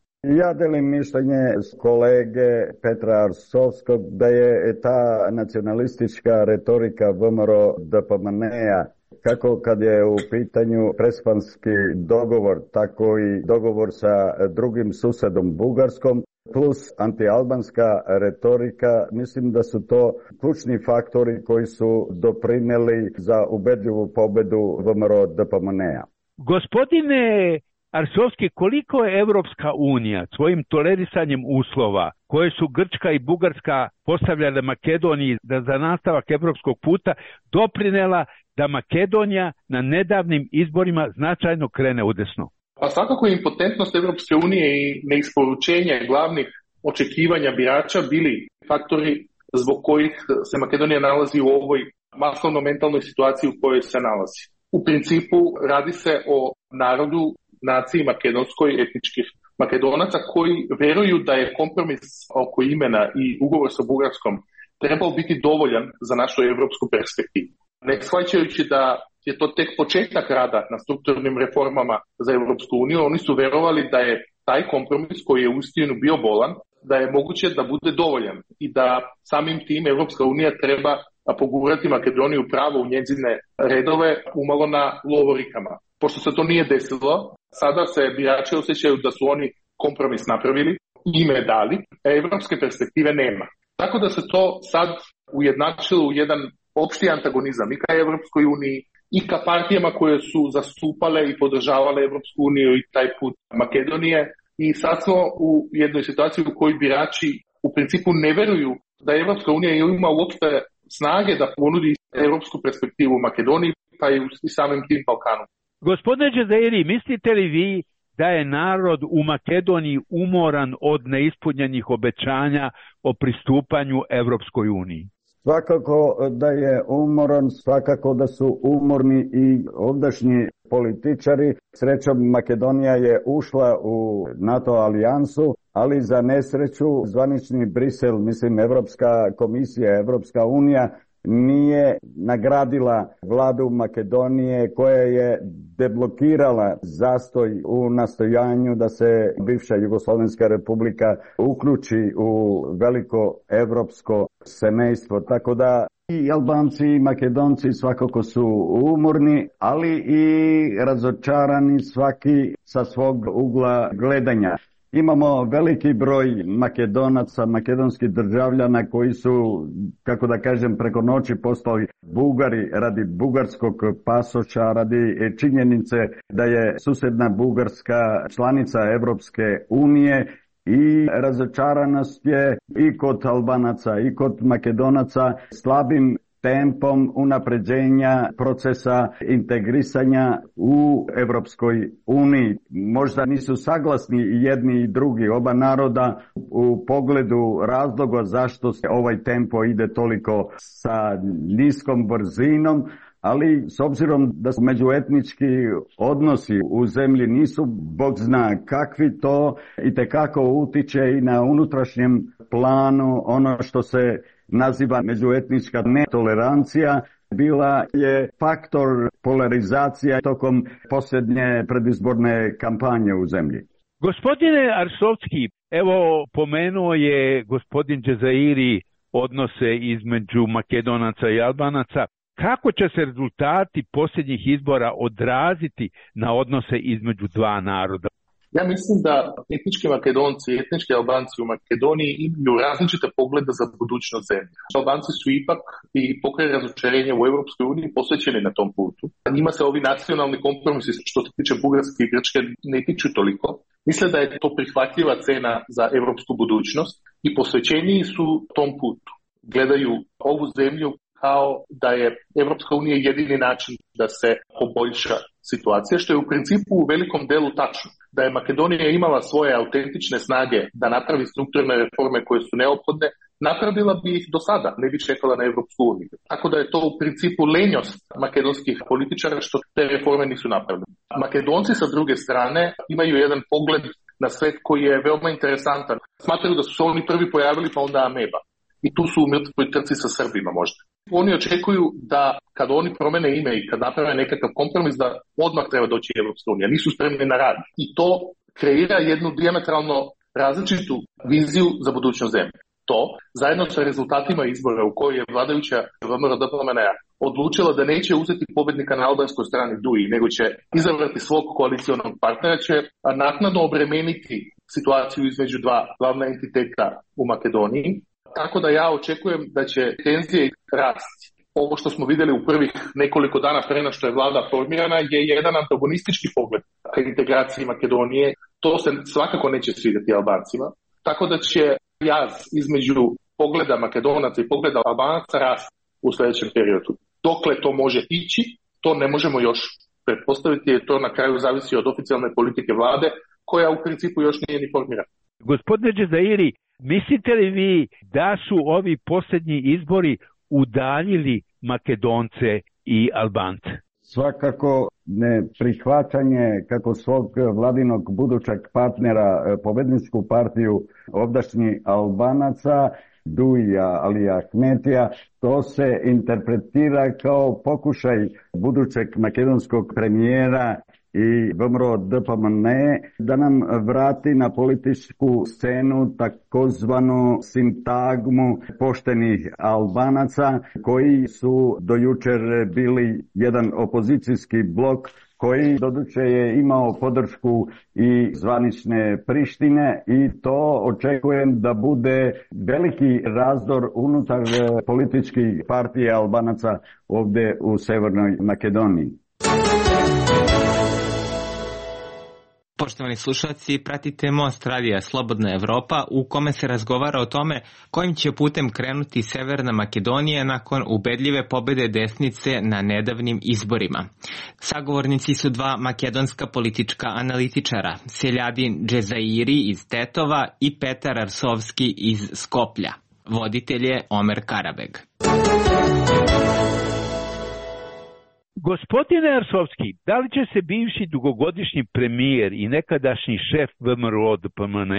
Ja delim mišljenje kolege Petra Arsovskog da je ta nacionalistička retorika VMRO-DPMNE-a, kako kad je u pitanju Prespanski dogovor, tako i dogovor sa drugim susedom Bugarskom, plus antialbanska retorika, mislim da su to ključni faktori koji su doprineli za ubedljivu pobedu VMRO-DPMNE-a. Gospodine Arsovski, koliko je Evropska unija svojim tolerisanjem uslova koje su Grčka i Bugarska postavljale Makedoniji da za nastavak evropskog puta doprinela da Makedonija na nedavnim izborima značajno krene udesno? Pa svakako je impotentnost Evropske unije i neisporučenje glavnih očekivanja birača bili faktori zbog kojih se Makedonija nalazi u ovoj masovno mentalnoj situaciji u kojoj se nalazi. U principu radi se o narodu, naciji makedonskoj, etničkih Makedonaca koji veruju da je kompromis oko imena i ugovor sa Bugarskom trebao biti dovoljan za našu evropsku perspektivu. Ne shvaćajući da je to tek početak rada na strukturnim reformama za Evropsku uniju, oni su verovali da je taj kompromis koji je uistinu bio bolan, da je moguće da bude dovoljan i da samim tim Evropska unija treba pogurati Makedoniju pravo u njezine redove umalo na lovorikama. Pošto se to nije desilo, sada se birači osjećaju da su oni kompromis napravili, ime dali, a evropske perspektive nema. Tako da se to sad ujednačilo u jedan opšti antagonizam i ka Evropskoj uniji i ka partijama koje su zastupale i podržavale Evropsku uniju i taj put Makedonije. I sad smo u jednoj situaciji u kojoj birači u principu ne veruju da Evropska unija ima uopšte snage da ponudi evropsku perspektivu Makedoniji pa i samim tim Balkanu. Gospodine Džezairi, mislite li vi da je narod u Makedoniji umoran od neispunjenih obećanja o pristupanju Evropskoj uniji? Svakako da je umoran, svakako da su umorni i ovdašnji političari. Srećom, Makedonija je ušla u NATO alijansu, ali za nesreću zvanični Brisel, mislim Evropska komisija, Evropska unija, nije nagradila vladu Makedonije koja je deblokirala zastoj u nastojanju da se bivša Jugoslovenska republika uključi u veliko evropsko semejstvo. Tako da i Albanci i Makedonci svakako su umorni, ali i razočarani svaki sa svog ugla gledanja. Imamo veliki broj Makedonaca, makedonskih državljana koji su, kako da kažem, preko noći postali Bugari radi bugarskog pasoša, radi činjenice da je susedna Bugarska članica Evropske unije i razočaranost je i kod Albanaca i kod Makedonaca slabim tempom unapređenja procesa integrisanja u Evropskoj uniji. Možda nisu saglasni i jedni i drugi, oba naroda, u pogledu razloga zašto se ovaj tempo ide toliko sa niskom brzinom, ali s obzirom da su međuetnički odnosi u zemlji nisu bog zna kakvi, to itekako utiče i na unutrašnjem planu ono što se naziva međuetnička netolerancija. Bila je faktor polarizacija tokom posljednje predizborne kampanje u zemlji. Gospodine Arsovski, evo pomenuo je gospodin Džezairi odnose između Makedonaca i Albanaca. Kako će se rezultati posljednjih izbora odraziti na odnose između dva naroda? Ja mislim da etnički Makedonci i etnički Albanci u Makedoniji imaju različite poglede za budućnost zemlje. Albanci su ipak i pokraj razočarenja u Evropskoj uniji posvećeni na tom putu. Njima se ovi nacionalni kompromisi što se tiče Bugarske i Grčke ne tiču toliko. Misle da je to prihvatljiva cena za evropsku budućnost i posvećeniji su tom putu. Gledaju ovu zemlju kao da je Evropska unija jedini način da se poboljša situacija, što je u principu u velikom delu tačno. Da je Makedonija imala svoje autentične snage da napravi strukturne reforme koje su neophodne, napravila bi ih do sada, ne bi čekala na Evropsku uniju. Tako da je to u principu lenjost makedonskih političara što te reforme nisu napravljene. Makedonci sa druge strane imaju jedan pogled na svet koji je veoma interesantan. Smatraju da su se oni prvi pojavili pa onda ameba. I tu su u mrtvoj trci sa Srbima možda. Oni očekuju da kad oni promene ime i kad naprave nekakav kompromis da odmah treba doći Evropska unija. Nisu spremni na rad. I to kreira jednu dijametralno različitu viziju za budućnost zemlje. To, zajedno sa rezultatima izbora u kojoj je vladajuća VMRO-DPMNE odlučila da neće uzeti pobednika na albanskoj strani Duji, nego će izabrati svog koalicionog partnera, će naknadno obremeniti situaciju između dva glavna entiteta u Makedoniji. Tako da ja očekujem da će tenzije rasti. Ovo što smo vidjeli u prvih nekoliko dana pre nego što je vlada formirana je jedan antagonistički pogled ka integraciji Makedonije. To se svakako neće svidjeti Albancima. Tako da će jaz između pogleda Makedonaca i pogleda Albanaca rasti u sljedećem periodu. Dokle to može ići, to ne možemo još pretpostaviti, jer to na kraju zavisi od oficijalne politike vlade, koja u principu još nije ni formirana. Gospodine Džezairi, mislite li vi da su ovi posljednji izbori udaljili Makedonce i Albance? Svakako neprihvaćanje kako svog vladinog budućeg partnera, pobedničku partiju ovdašnjih Albanaca, Duija Alija Ahmetija, to se interpretira kao pokušaj budućeg makedonskog premijera i VMRO DPMN da nam vrati na političku scenu takozvanu sintagmu poštenih Albanaca koji su do jučer bili jedan opozicijski blok koji doduše je imao podršku i zvanične Prištine i to očekujem da bude veliki razdor unutar političkih partija Albanaca ovdje u Severnoj Makedoniji. Poštovani slušalci, pratite Most radija Slobodna Evropa u kome se razgovara o tome kojim će putem krenuti Severna Makedonija nakon ubedljive pobede desnice na nedavnim izborima. Sagovornici su dva makedonska politička analitičara, Seljadin Džezairi iz Tetova i Petar Arsovski iz Skoplja. Voditelj je Omer Karabeg. Gospodine Arsovski, da li će se bivši dugogodišnji premijer i nekadašnji šef VMRO DPMN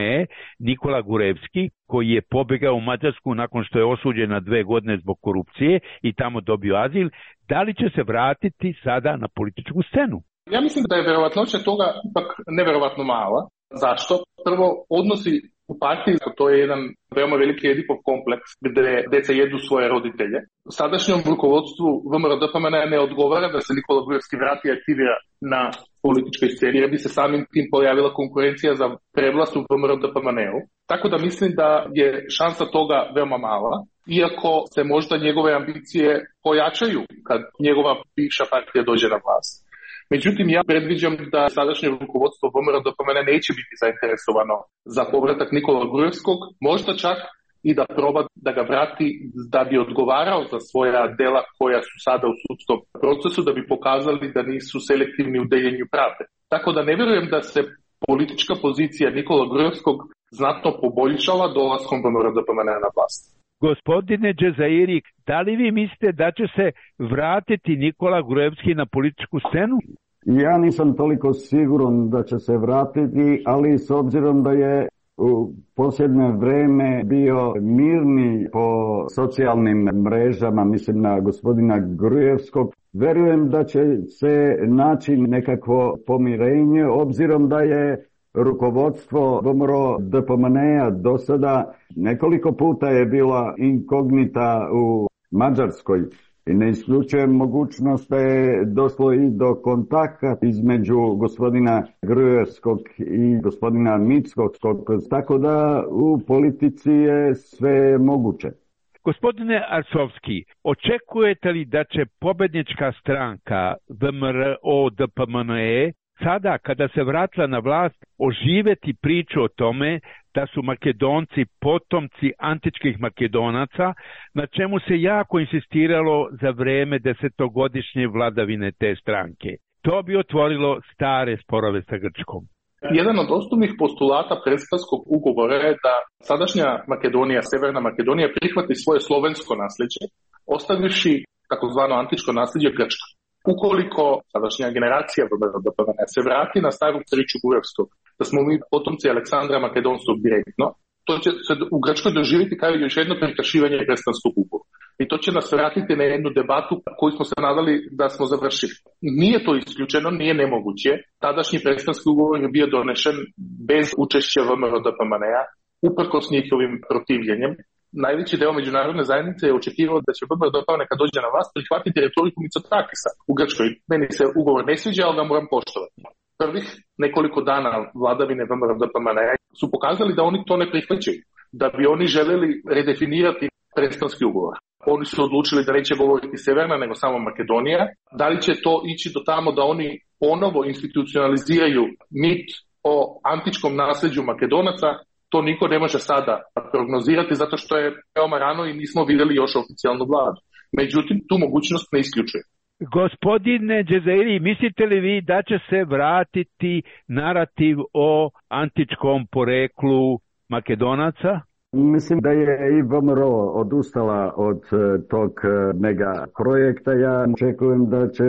Nikola Gurevski, koji je pobegao u Mađarsku nakon što je osuđen na 2 godine zbog korupcije i tamo dobio azil, da li će se vratiti sada na političku scenu? Ja mislim da je verovatnoća toga ipak neverovatno mala. Zašto? Prvo, odnosi u partiji, to je jedan veoma veliki Edipov kompleks gde deca jedu svoje roditelje. Sadašnjom rukovodstvu VMRO DPMN ne odgovara da se Nikola Gurevski vrati i aktivira na političkoj sceni, jer bi se samim tim pojavila konkurencija za prevlast u VMRO DPMN-u. Tako da mislim da je šansa toga veoma mala, iako se možda njegove ambicije pojačaju kad njegova bivša partija dođe na vlast. Međutim, ja predviđam da sadašnje rukovodstvo VMRO DPMN neće biti zainteresovano za povratak Nikola Gurevskog, možda čak i da proba da ga vrati da bi odgovarao za svoja dela koja su sada u sudskom procesu, da bi pokazali da nisu selektivni u deljenju pravde. Tako da ne vjerujem da se politička pozicija Nikola Gurevskog znatno poboljšala dolaskom VMRO DPMN na vlast. Gospodine Džezairi, da li vi mislite da će se vratiti Nikola Gurevski na političku scenu? Ja nisam toliko siguran da će se vratiti, ali s obzirom da je u posljednje vreme bio mirni po socijalnim mrežama, mislim na gospodina Gurevskog, verujem da će se naći nekakvo pomirenje, obzirom da je rukovodstvo VMRO DPMN-a do sada nekoliko puta je bila inkognita u Mađarskoj i ne isključujem mogućnost da je došlo i do kontakta između gospodina Gruevskog i gospodina Mickog, tako da u politici je sve moguće. Gospodine Arsovski, očekujete li da će pobednička stranka VMRO DPMN sada, kada se vratila na vlast, oživeti priču o tome da su Makedonci potomci antičkih Makedonaca, na čemu se jako insistiralo za vreme 10-godišnje vladavine te stranke. To bi otvorilo stare sporove sa Grčkom. Jedan od osnovnih postulata Prespanskog ugovora je da sadašnja Makedonija, Severna Makedonija, prihvati svoje slovensko nasljeđe, ostavivši takozvano antičko nasljeđe Grčka. Ukoliko sadašnja generacija se vrati na staru priču Gurevskog, da smo mi potomci Aleksandra Makedonskog direktno, to će se u Grčkoj doživjeti kao još jedno prekršivanje Prespanskog ugovora. I to će nas vratiti na jednu debatu koju smo se nadali da smo završili. Nije to isključeno, nije nemoguće. Tadašnji Prespanski ugovor je bio donešen bez učešća VMRO DPMN-a, uprkos njihovim protivljenjem. Najveći deo međunarodne zajednice je očekivao da će VMRO DPMN kad dođe na vlast prihvatiti retoriku Mitsotakisa u Grčkoj. Meni se ugovor ne sviđa, ali ga moram poštovati. prvih nekoliko dana vladavine VMRO-DPMNE su pokazali da oni to ne prihvaćaju, da bi oni želeli redefinirati Prespanski ugovor. Oni su odlučili da neće govoriti Severna, nego samo Makedonija. Da li će to ići do tamo da oni ponovo institucionaliziraju mit o antičkom nasljeđu Makedonaca, to niko ne može sada prognozirati zato što je veoma rano i nismo vidjeli još oficijalnu vladu. Međutim, tu mogućnost ne isključuje. Gospodine Džezairi, mislite li vi da će se vratiti narativ o antičkom poreklu Makedonaca? Mislim da je i VMRO odustala od tog mega projekta. Ja očekujem da će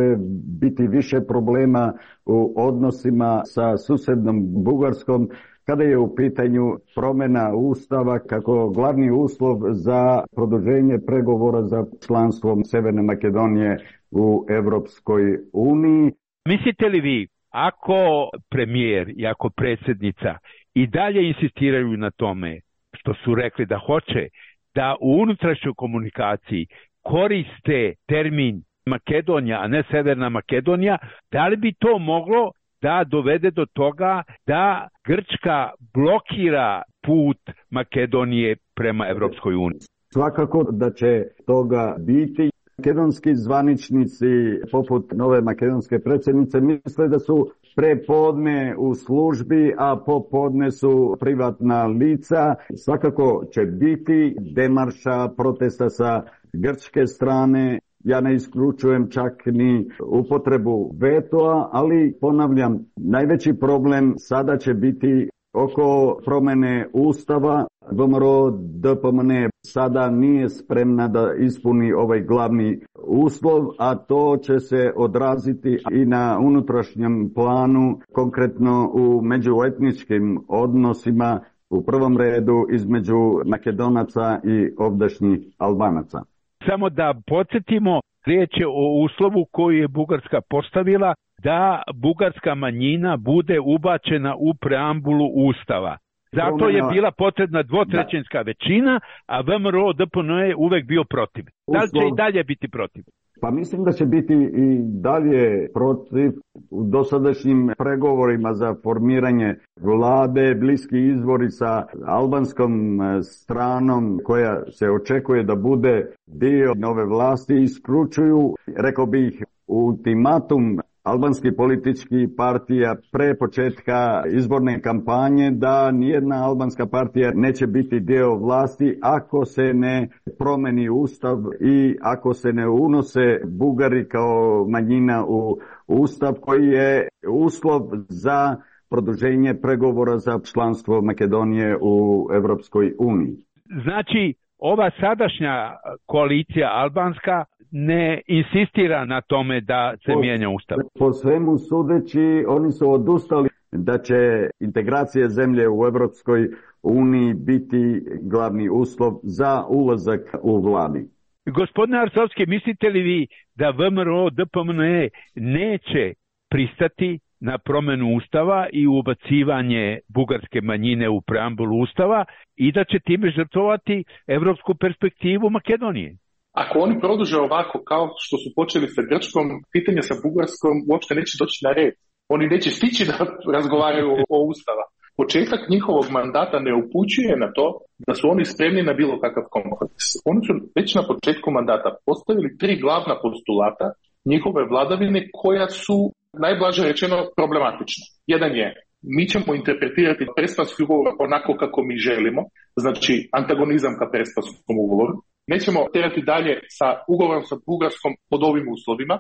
biti više problema u odnosima sa susednom Bugarskom kada je u pitanju promjena ustava kako glavni uslov za produženje pregovora za članstvom Severne Makedonije u Evropskoj uniji. Mislite li vi, ako premijer i ako predsjednica i dalje insistiraju na tome što su rekli da hoće, da u unutrašnjoj komunikaciji koriste termin Makedonija, a ne Severna Makedonija, da li bi to moglo da dovede do toga da Grčka blokira put Makedonije prema Evropskoj uniji? Svakako da će toga biti. Makedonski zvaničnici, poput nove makedonske predsjednice, misle da su prepodne u službi, a popodne su privatna lica. Svakako će biti demarša protesta sa grčke strane. Ja ne isključujem čak ni upotrebu vetoa, ali ponavljam, najveći problem sada će biti oko promjene ustava. VMRO-DPMNE sada nije spremna da ispuni ovaj glavni uslov, a to će se odraziti i na unutrašnjem planu, konkretno u međuetničkim odnosima, u prvom redu između Makedonaca i ovdašnjih Albanaca. Samo da podsjetimo, riječ je o uslovu koji je Bugarska postavila da bugarska manjina bude ubačena u preambulu Ustava. Zato je bila potrebna dvotrećinska većina, a VMRO-DPMNE je uvek bio protiv. Da li će i dalje biti protiv? Pa mislim da će biti i dalje protiv. U dosadašnjim pregovorima za formiranje vlade, bliski izbori sa albanskom stranom koja se očekuje da bude dio nove vlasti, isključuju, rekao bih, ultimatum albanskih političkih partija pre početka izborne kampanje da nijedna albanska partija neće biti dio vlasti ako se ne promeni ustav i ako se ne unose Bugari kao manjina u ustav koji je uslov za produženje pregovora za članstvo Makedonije u Evropskoj uniji. Znači, ova sadašnja koalicija albanska ne insistira na tome da se mijenja ustav. Po svemu sudeći, oni su odustali da će integracija zemlje u Evropskoj uniji biti glavni uslov za ulazak u vladi. Gospodine Arsovski, mislite li vi da VMRO-DPMNE neće pristati na promjenu ustava i ubacivanje bugarske manjine u preambulu ustava i da će time žrtvovati evropsku perspektivu Makedonije? Ako oni produže ovako kao što su počeli sa Grčkom, pitanje sa Bugarskom uopšte neće doći na red. Oni neće stići da razgovaraju o ustava. Početak njihovog mandata ne upućuje na to da su oni spremni na bilo kakav kompromis. Oni su već na početku mandata postavili 3 glavna postulata njihove vladavine koja su, najblaže rečeno, problematična. Jedan je, mi ćemo interpretirati Prespanski ugovor onako kako mi želimo, znači antagonizam ka Prespanskom ugovoru. Nećemo terati dalje sa ugovorom sa Bugarskom pod ovim uslovima,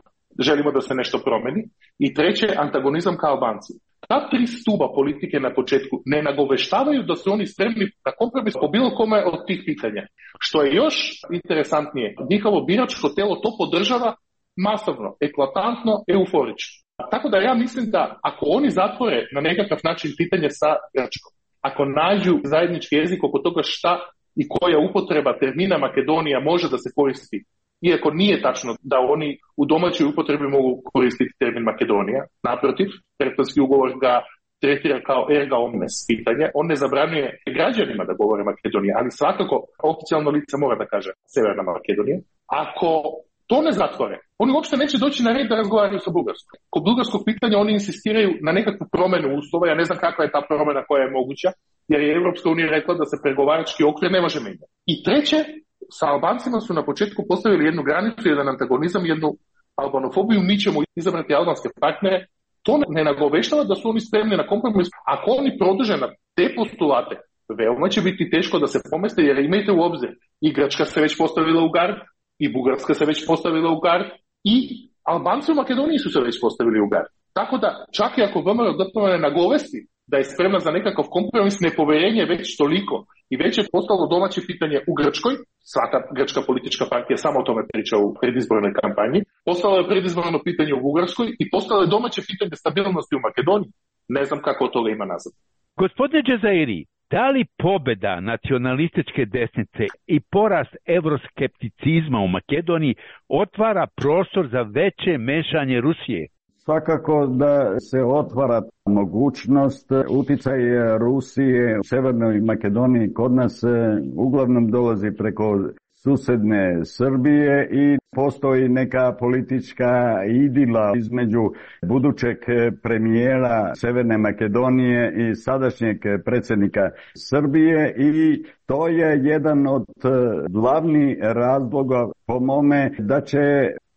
želimo da se nešto promeni. I treće, antagonizam ka Albanci. Ta 3 stuba politike na početku ne nagoveštavaju da su oni spremni na kompromis po bilo kome od tih pitanja. Što je još interesantnije, njihovo biračko telo to podržava masovno, eklatantno, euforično. Tako da ja mislim da ako oni zatvore na nekakav način pitanje sa Grčkom, ako nađu zajednički jezik oko toga šta i koja upotreba termina Makedonija može da se koristi, iako nije tačno da oni u domaćoj upotrebi mogu koristiti termin Makedonija, naprotiv, Prespanski ugovor ga tretira kao erga omnes pitanje, on ne zabranjuje građanima da govore Makedonija, ali svakako oficijalno lice mora da kaže Severna Makedonija. Ako to ne zatvore, oni uopšte neće doći na red da razgovaraju sa Bugarskom. Kod bugarskog pitanja oni insistiraju na nekakvu promenu uslova, ja ne znam kakva je ta promena koja je moguća, jer je Evropska unija rekla da se pregovarački okvir ne može menjati. I treće, sa Albancima su na početku postavili jednu granicu, jedan antagonizam, jednu albanofobiju, mi ćemo izabrati albanske partnere. To ne nagoveštava da su oni spremni na kompromis. Ako oni produže na te postulate, veoma će biti teško da se pomeste, jer imajte u obzir, i Grčka se već postavila u gard, i Bugarska se već postavila u gard, i Albanci u Makedoniji su se već postavili u gard. Tako da, čak i ako VMRO ne nagovesti da je spremna za nekakav kompromis, nepoverenje već toliko i već je postalo domaće pitanje u Grčkoj, svaka grčka politička partija samo o tome priča u predizbornoj kampanji, postalo je predizborno pitanje u Bugarskoj i postalo je domaće pitanje stabilnosti u Makedoniji. Ne znam kako od toga ima nazad. Gospodine Džezairi, da li pobeda nacionalističke desnice i porast evroskepticizma u Makedoniji otvara prostor za veće mešanje Rusije? Svakako da se otvara mogućnost. Uticaj Rusije u Severnoj Makedoniji kod nas uglavnom dolazi preko susedne Srbije i postoji neka politička idila između budućeg premijera Severne Makedonije i sadašnjeg predsjednika Srbije i to je jedan od glavnih razloga po mome da će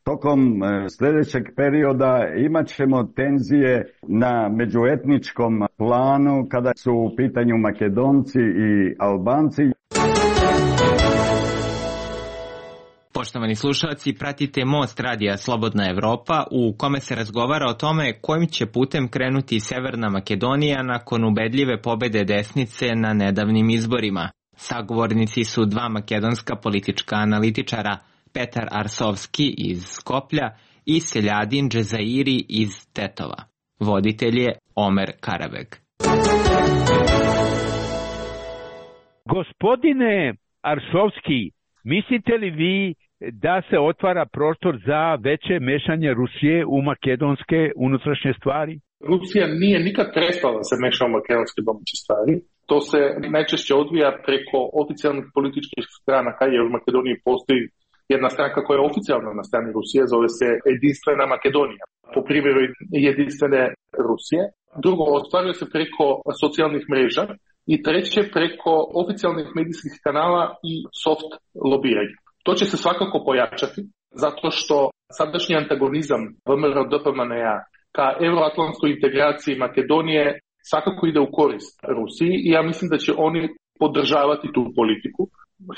tokom sljedećeg perioda imat ćemo tenzije na međuetničkom planu kada su u pitanju Makedonci i Albanci. Poštovani slušalci, pratite Most radija Slobodna Evropa u kome se razgovara o tome kojim će putem krenuti Severna Makedonija nakon ubedljive pobede desnice na nedavnim izborima. Sagovornici su dva makedonska politička analitičara, Petar Arsovski iz Skoplja i Seljadin Džezairi iz Tetova. Voditelj je Omer Karabeg. Gospodine Arsovski, mislite li vi da se otvara prostor za veće mešanje Rusije u makedonske unutrašnje stvari? Rusija nije nikad prestala da se meša u makedonske domaće stvari. To se najčešće odvija preko oficijalnih političkih stranaka, jer u Makedoniji postoji jedna stranka koja je oficijalno na strani Rusije, zove se Jedinstvena Makedonija, po primjeru Jedinstvene Rusije. Drugo, ostvaruje se preko socijalnih mreža i treće preko oficijalnih medijskih kanala i soft lobiranja. To će se svakako pojačati, zato što sadašnji antagonizam VMRO-DPMNE-a ka euroatlantskoj integraciji Makedonije svakako ide u korist Rusiji i ja mislim da će oni podržavati tu politiku,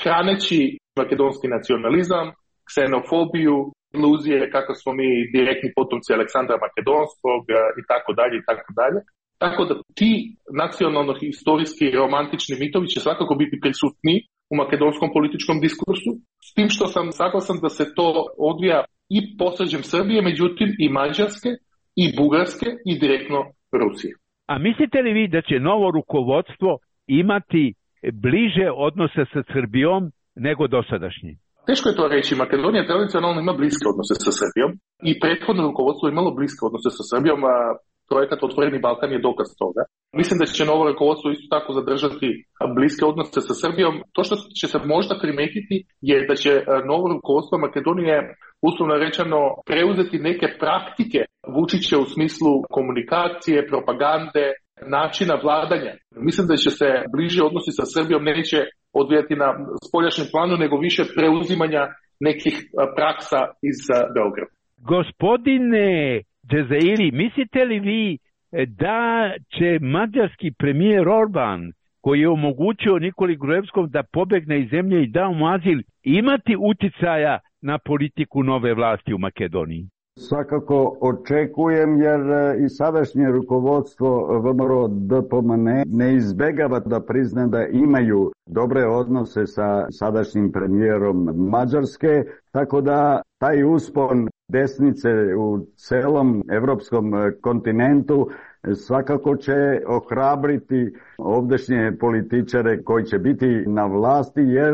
hraneći makedonski nacionalizam, ksenofobiju, iluzije kako smo mi direktni potomci Aleksandra Makedonskog i tako dalje i tako dalje. Tako da ti nacionalno-historijski i romantični mitovi će svakako biti prisutni u makedonskom političkom diskursu, s tim što sam saglasan da se to odvija i posređem Srbije, međutim i Mađarske, i Bugarske, i direktno Rusije. A mislite li vi da će novo rukovodstvo imati bliže odnose sa Srbijom nego dosadašnji? Teško je to reći. Makedonija tradicionalno ima bliske odnose sa Srbijom i prethodno rukovodstvo imalo bliske odnose sa Srbijom, a projekat Otvoreni Balkan je dokaz toga. Mislim da će novo rukovodstvo isto tako zadržati bliske odnose sa Srbijom. To što će se možda primetiti je da će novo rukovodstvo Makedonije uslovno rečeno preuzeti neke praktike Vučića u smislu komunikacije, propagande, načina vladanja. Mislim da će se bliže odnosi sa Srbijom neće odvijati na spoljašnjem planu, nego više preuzimanja nekih praksa iz Beograda. Gospodine Džezairi, mislite li vi da će mađarski premijer Orban, koji je omogućio Nikoli Gruevskom da pobegne iz zemlje i da mu azil, imati uticaja na politiku nove vlasti u Makedoniji? Svakako očekujem, jer i sadašnje rukovodstvo VMRO-DPMNE ne izbegava da prizna da imaju dobre odnose sa sadašnjim premijerom Mađarske, tako da taj uspon desnice u celom evropskom kontinentu svakako će ohrabriti ovdašnje političare koji će biti na vlasti, jer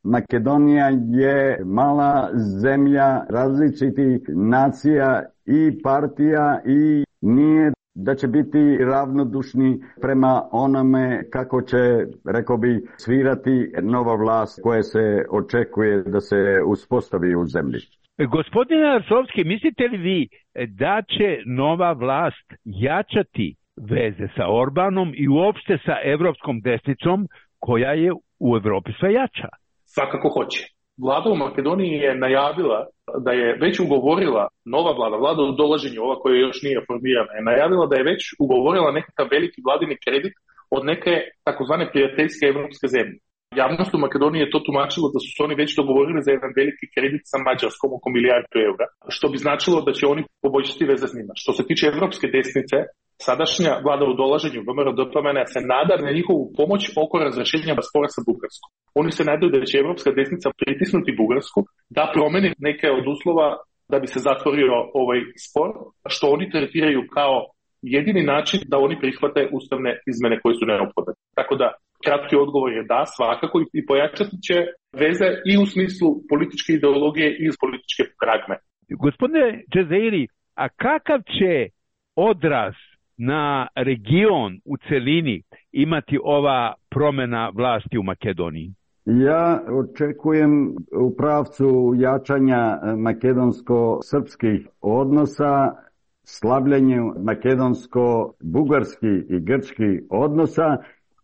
Makedonija je mala zemlja različitih nacija i partija i nije da će biti ravnodušni prema onome kako će, rekao bi, svirati nova vlast koja se očekuje da se uspostavi u zemlji. Gospodine Arsovski, mislite li vi da će nova vlast jačati veze sa Orbanom i uopšte sa evropskom desnicom koja je u Evropi sve jača? Svakako hoće. Vlada u Makedoniji je najavila da je već ugovorila, nova vlada u dolaženju, ova koja još nije formirana, je najavila da je već ugovorila nekakav veliki vladini kredit od neke takozvane prijateljske evropske zemlje. Javnost u Makedoniji je to tumačilo da su se oni već dogovorili za jedan veliki kredit sa Mađarskom oko €1 milijardu, što bi značilo da će oni poboljšati veze s njima. Što se tiče evropske desnice, sadašnja vlada u dolaženju VMRO-DPMNE se nada na njihovu pomoć oko razrešenja spora sa Bugarskom. Oni se nadaju da će evropska desnica pritisnuti Bugarsku da promeni neke od uslova da bi se zatvorio ovaj spor, što oni tretiraju kao jedini način da oni prihvate ustavne izmene koje su neophodne. Tako da kratki odgovor je da, svakako, i pojačati će veze i u smislu političke ideologije i iz političke pragme. Gospodine Džezeiri, a kakav će odraz na region u celini imati ova promena vlasti u Makedoniji? Ja očekujem u pravcu jačanja makedonsko-srpskih odnosa, slabljenju makedonsko-bugarskih i grčkih odnosa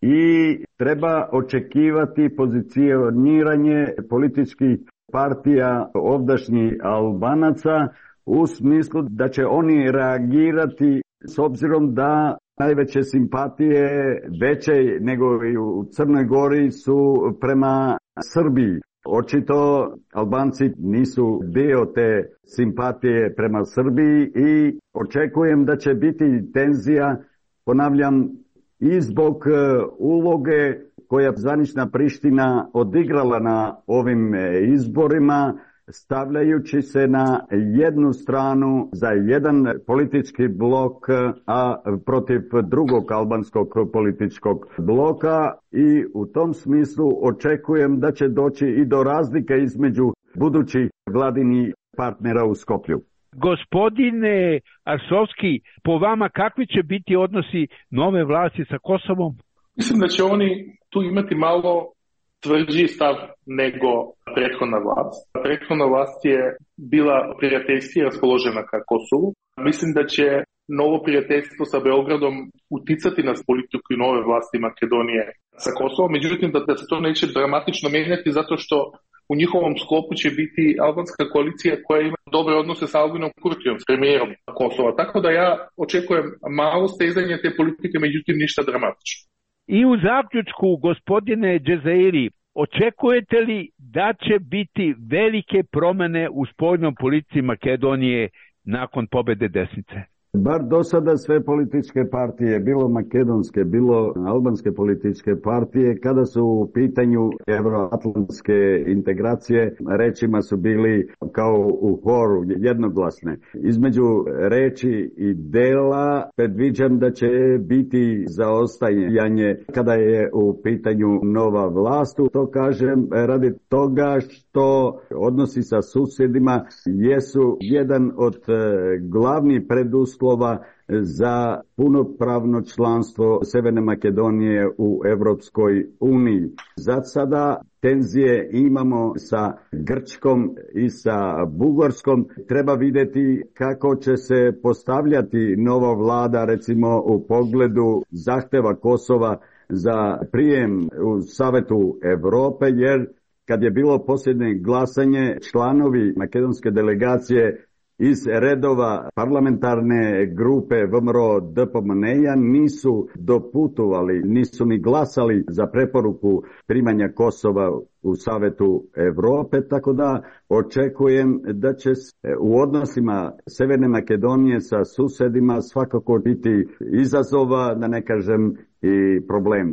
i treba očekivati pozicioniranje političkih partija ovdašnjih Albanaca u smislu da će oni reagirati s obzirom da najveće simpatije, veće nego i u Crnoj Gori, su prema Srbiji. Očito Albanci nisu dio te simpatije prema Srbiji i očekujem da će biti tenzija, ponavljam, i zbog uloge koja zvanična Priština odigrala na ovim izborima, stavljajući se na jednu stranu za jedan politički blok, a protiv drugog albanskog političkog bloka, i u tom smislu očekujem da će doći i do razlike između budućih vladinih partnera u Skoplju. Gospodine Arsovski, po vama kakvi će biti odnosi nove vlasti sa Kosovom? Mislim da će oni tu imati malo tvrđi stav nego prethodna vlast. Prethodna vlast je bila prijateljski raspoložena ka Kosovu. Mislim da će novo prijateljstvo sa Beogradom uticati na politiku i nove vlasti Makedonije sa Kosovom. Međutim, da se to neće dramatično mijenjati zato što u njihovom sklopu će biti albanska koalicija koja ima dobre odnose sa Albinom Kurtijom, s premijerom Kosova. Tako da ja očekujem malo stezanje te politike, međutim ništa dramatično. I u zaključku, gospodine Džezeiri, očekujete li da će biti velike promene u spoljnoj politici Makedonije nakon pobede desnice? Bar do sada sve političke partije, bilo makedonske, bilo albanske političke partije, kada su u pitanju evroatlantske integracije, rečima su bili kao u horu jednoglasne. Između reči i dela predviđam da će biti zaostajanje kada je u pitanju nova vlast. To kažem radi toga što odnosi sa susjedima jesu jedan od glavnih preduslova za punopravno članstvo Severne Makedonije u Evropskoj uniji. Za sada tenzije imamo sa Grčkom i sa Bugarskom. Treba vidjeti kako će se postavljati nova vlada, recimo u pogledu zahteva Kosova za prijem u Savetu Evrope, jer kad je bilo posljednje glasanje, članovi makedonske delegacije iz redova parlamentarne grupe VMRO-DPMNE nisu doputovali, nisu ni glasali za preporuku primanja Kosova u Savetu Evrope, tako da očekujem da će u odnosima Severne Makedonije sa susedima svakako biti izazova, da ne kažem i problema.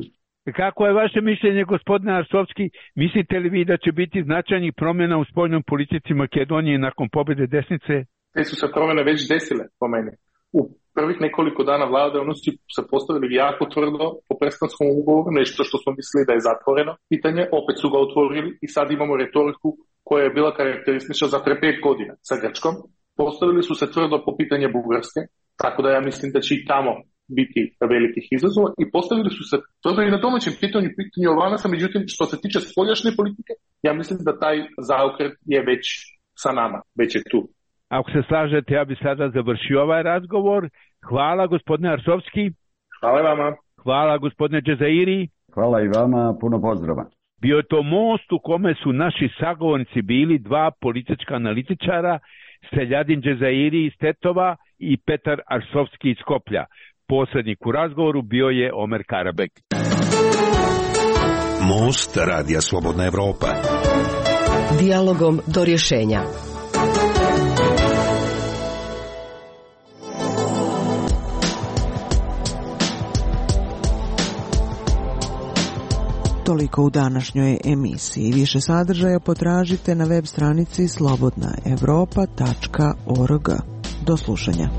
Kako je vaše mišljenje, gospodine Arsovski? Mislite li vi da će biti značajnih promjena u spoljnoj politici Makedonije nakon pobjede desnice? Te su se promjene već desile po meni. U prvih nekoliko dana vlade oni su se postavili jako tvrdo po prestanskom ugovoru, nešto što smo mislili da je zatvoreno pitanje, opet su ga otvorili i sad imamo retoriku koja je bila karakteristična za pre 5 godina sa Grčkom. Postavili su se tvrdo po pitanje Bugarske, Tako da ja mislim da će i tamo biti velikih izazova i postavili su se dobro i na domaćem pitanju Albanaca, međutim što se tiče spoljašnje politike, ja mislim da taj zaokret je već sa nama, već je tu. Ako se slažete, ja bi sada završio ovaj razgovor. Hvala gospodine Arsovski. Hvala vama. Hvala gospodine Džezairi. Hvala i vama, puno pozdrava. Bio je to most u kome su naši sagovornici bili dva politička analitičara, Seljadin Džezairi iz Tetova i Petar Arsovski iz Skoplja. Posrednik u razgovoru bio je Omer Karabek. Most Radija Slobodna Evropa. Dijalogom do rješenja. Toliko u današnjoj emisiji. Više sadržaja potražite na web stranici slobodnaevropa.org. Do slušanja.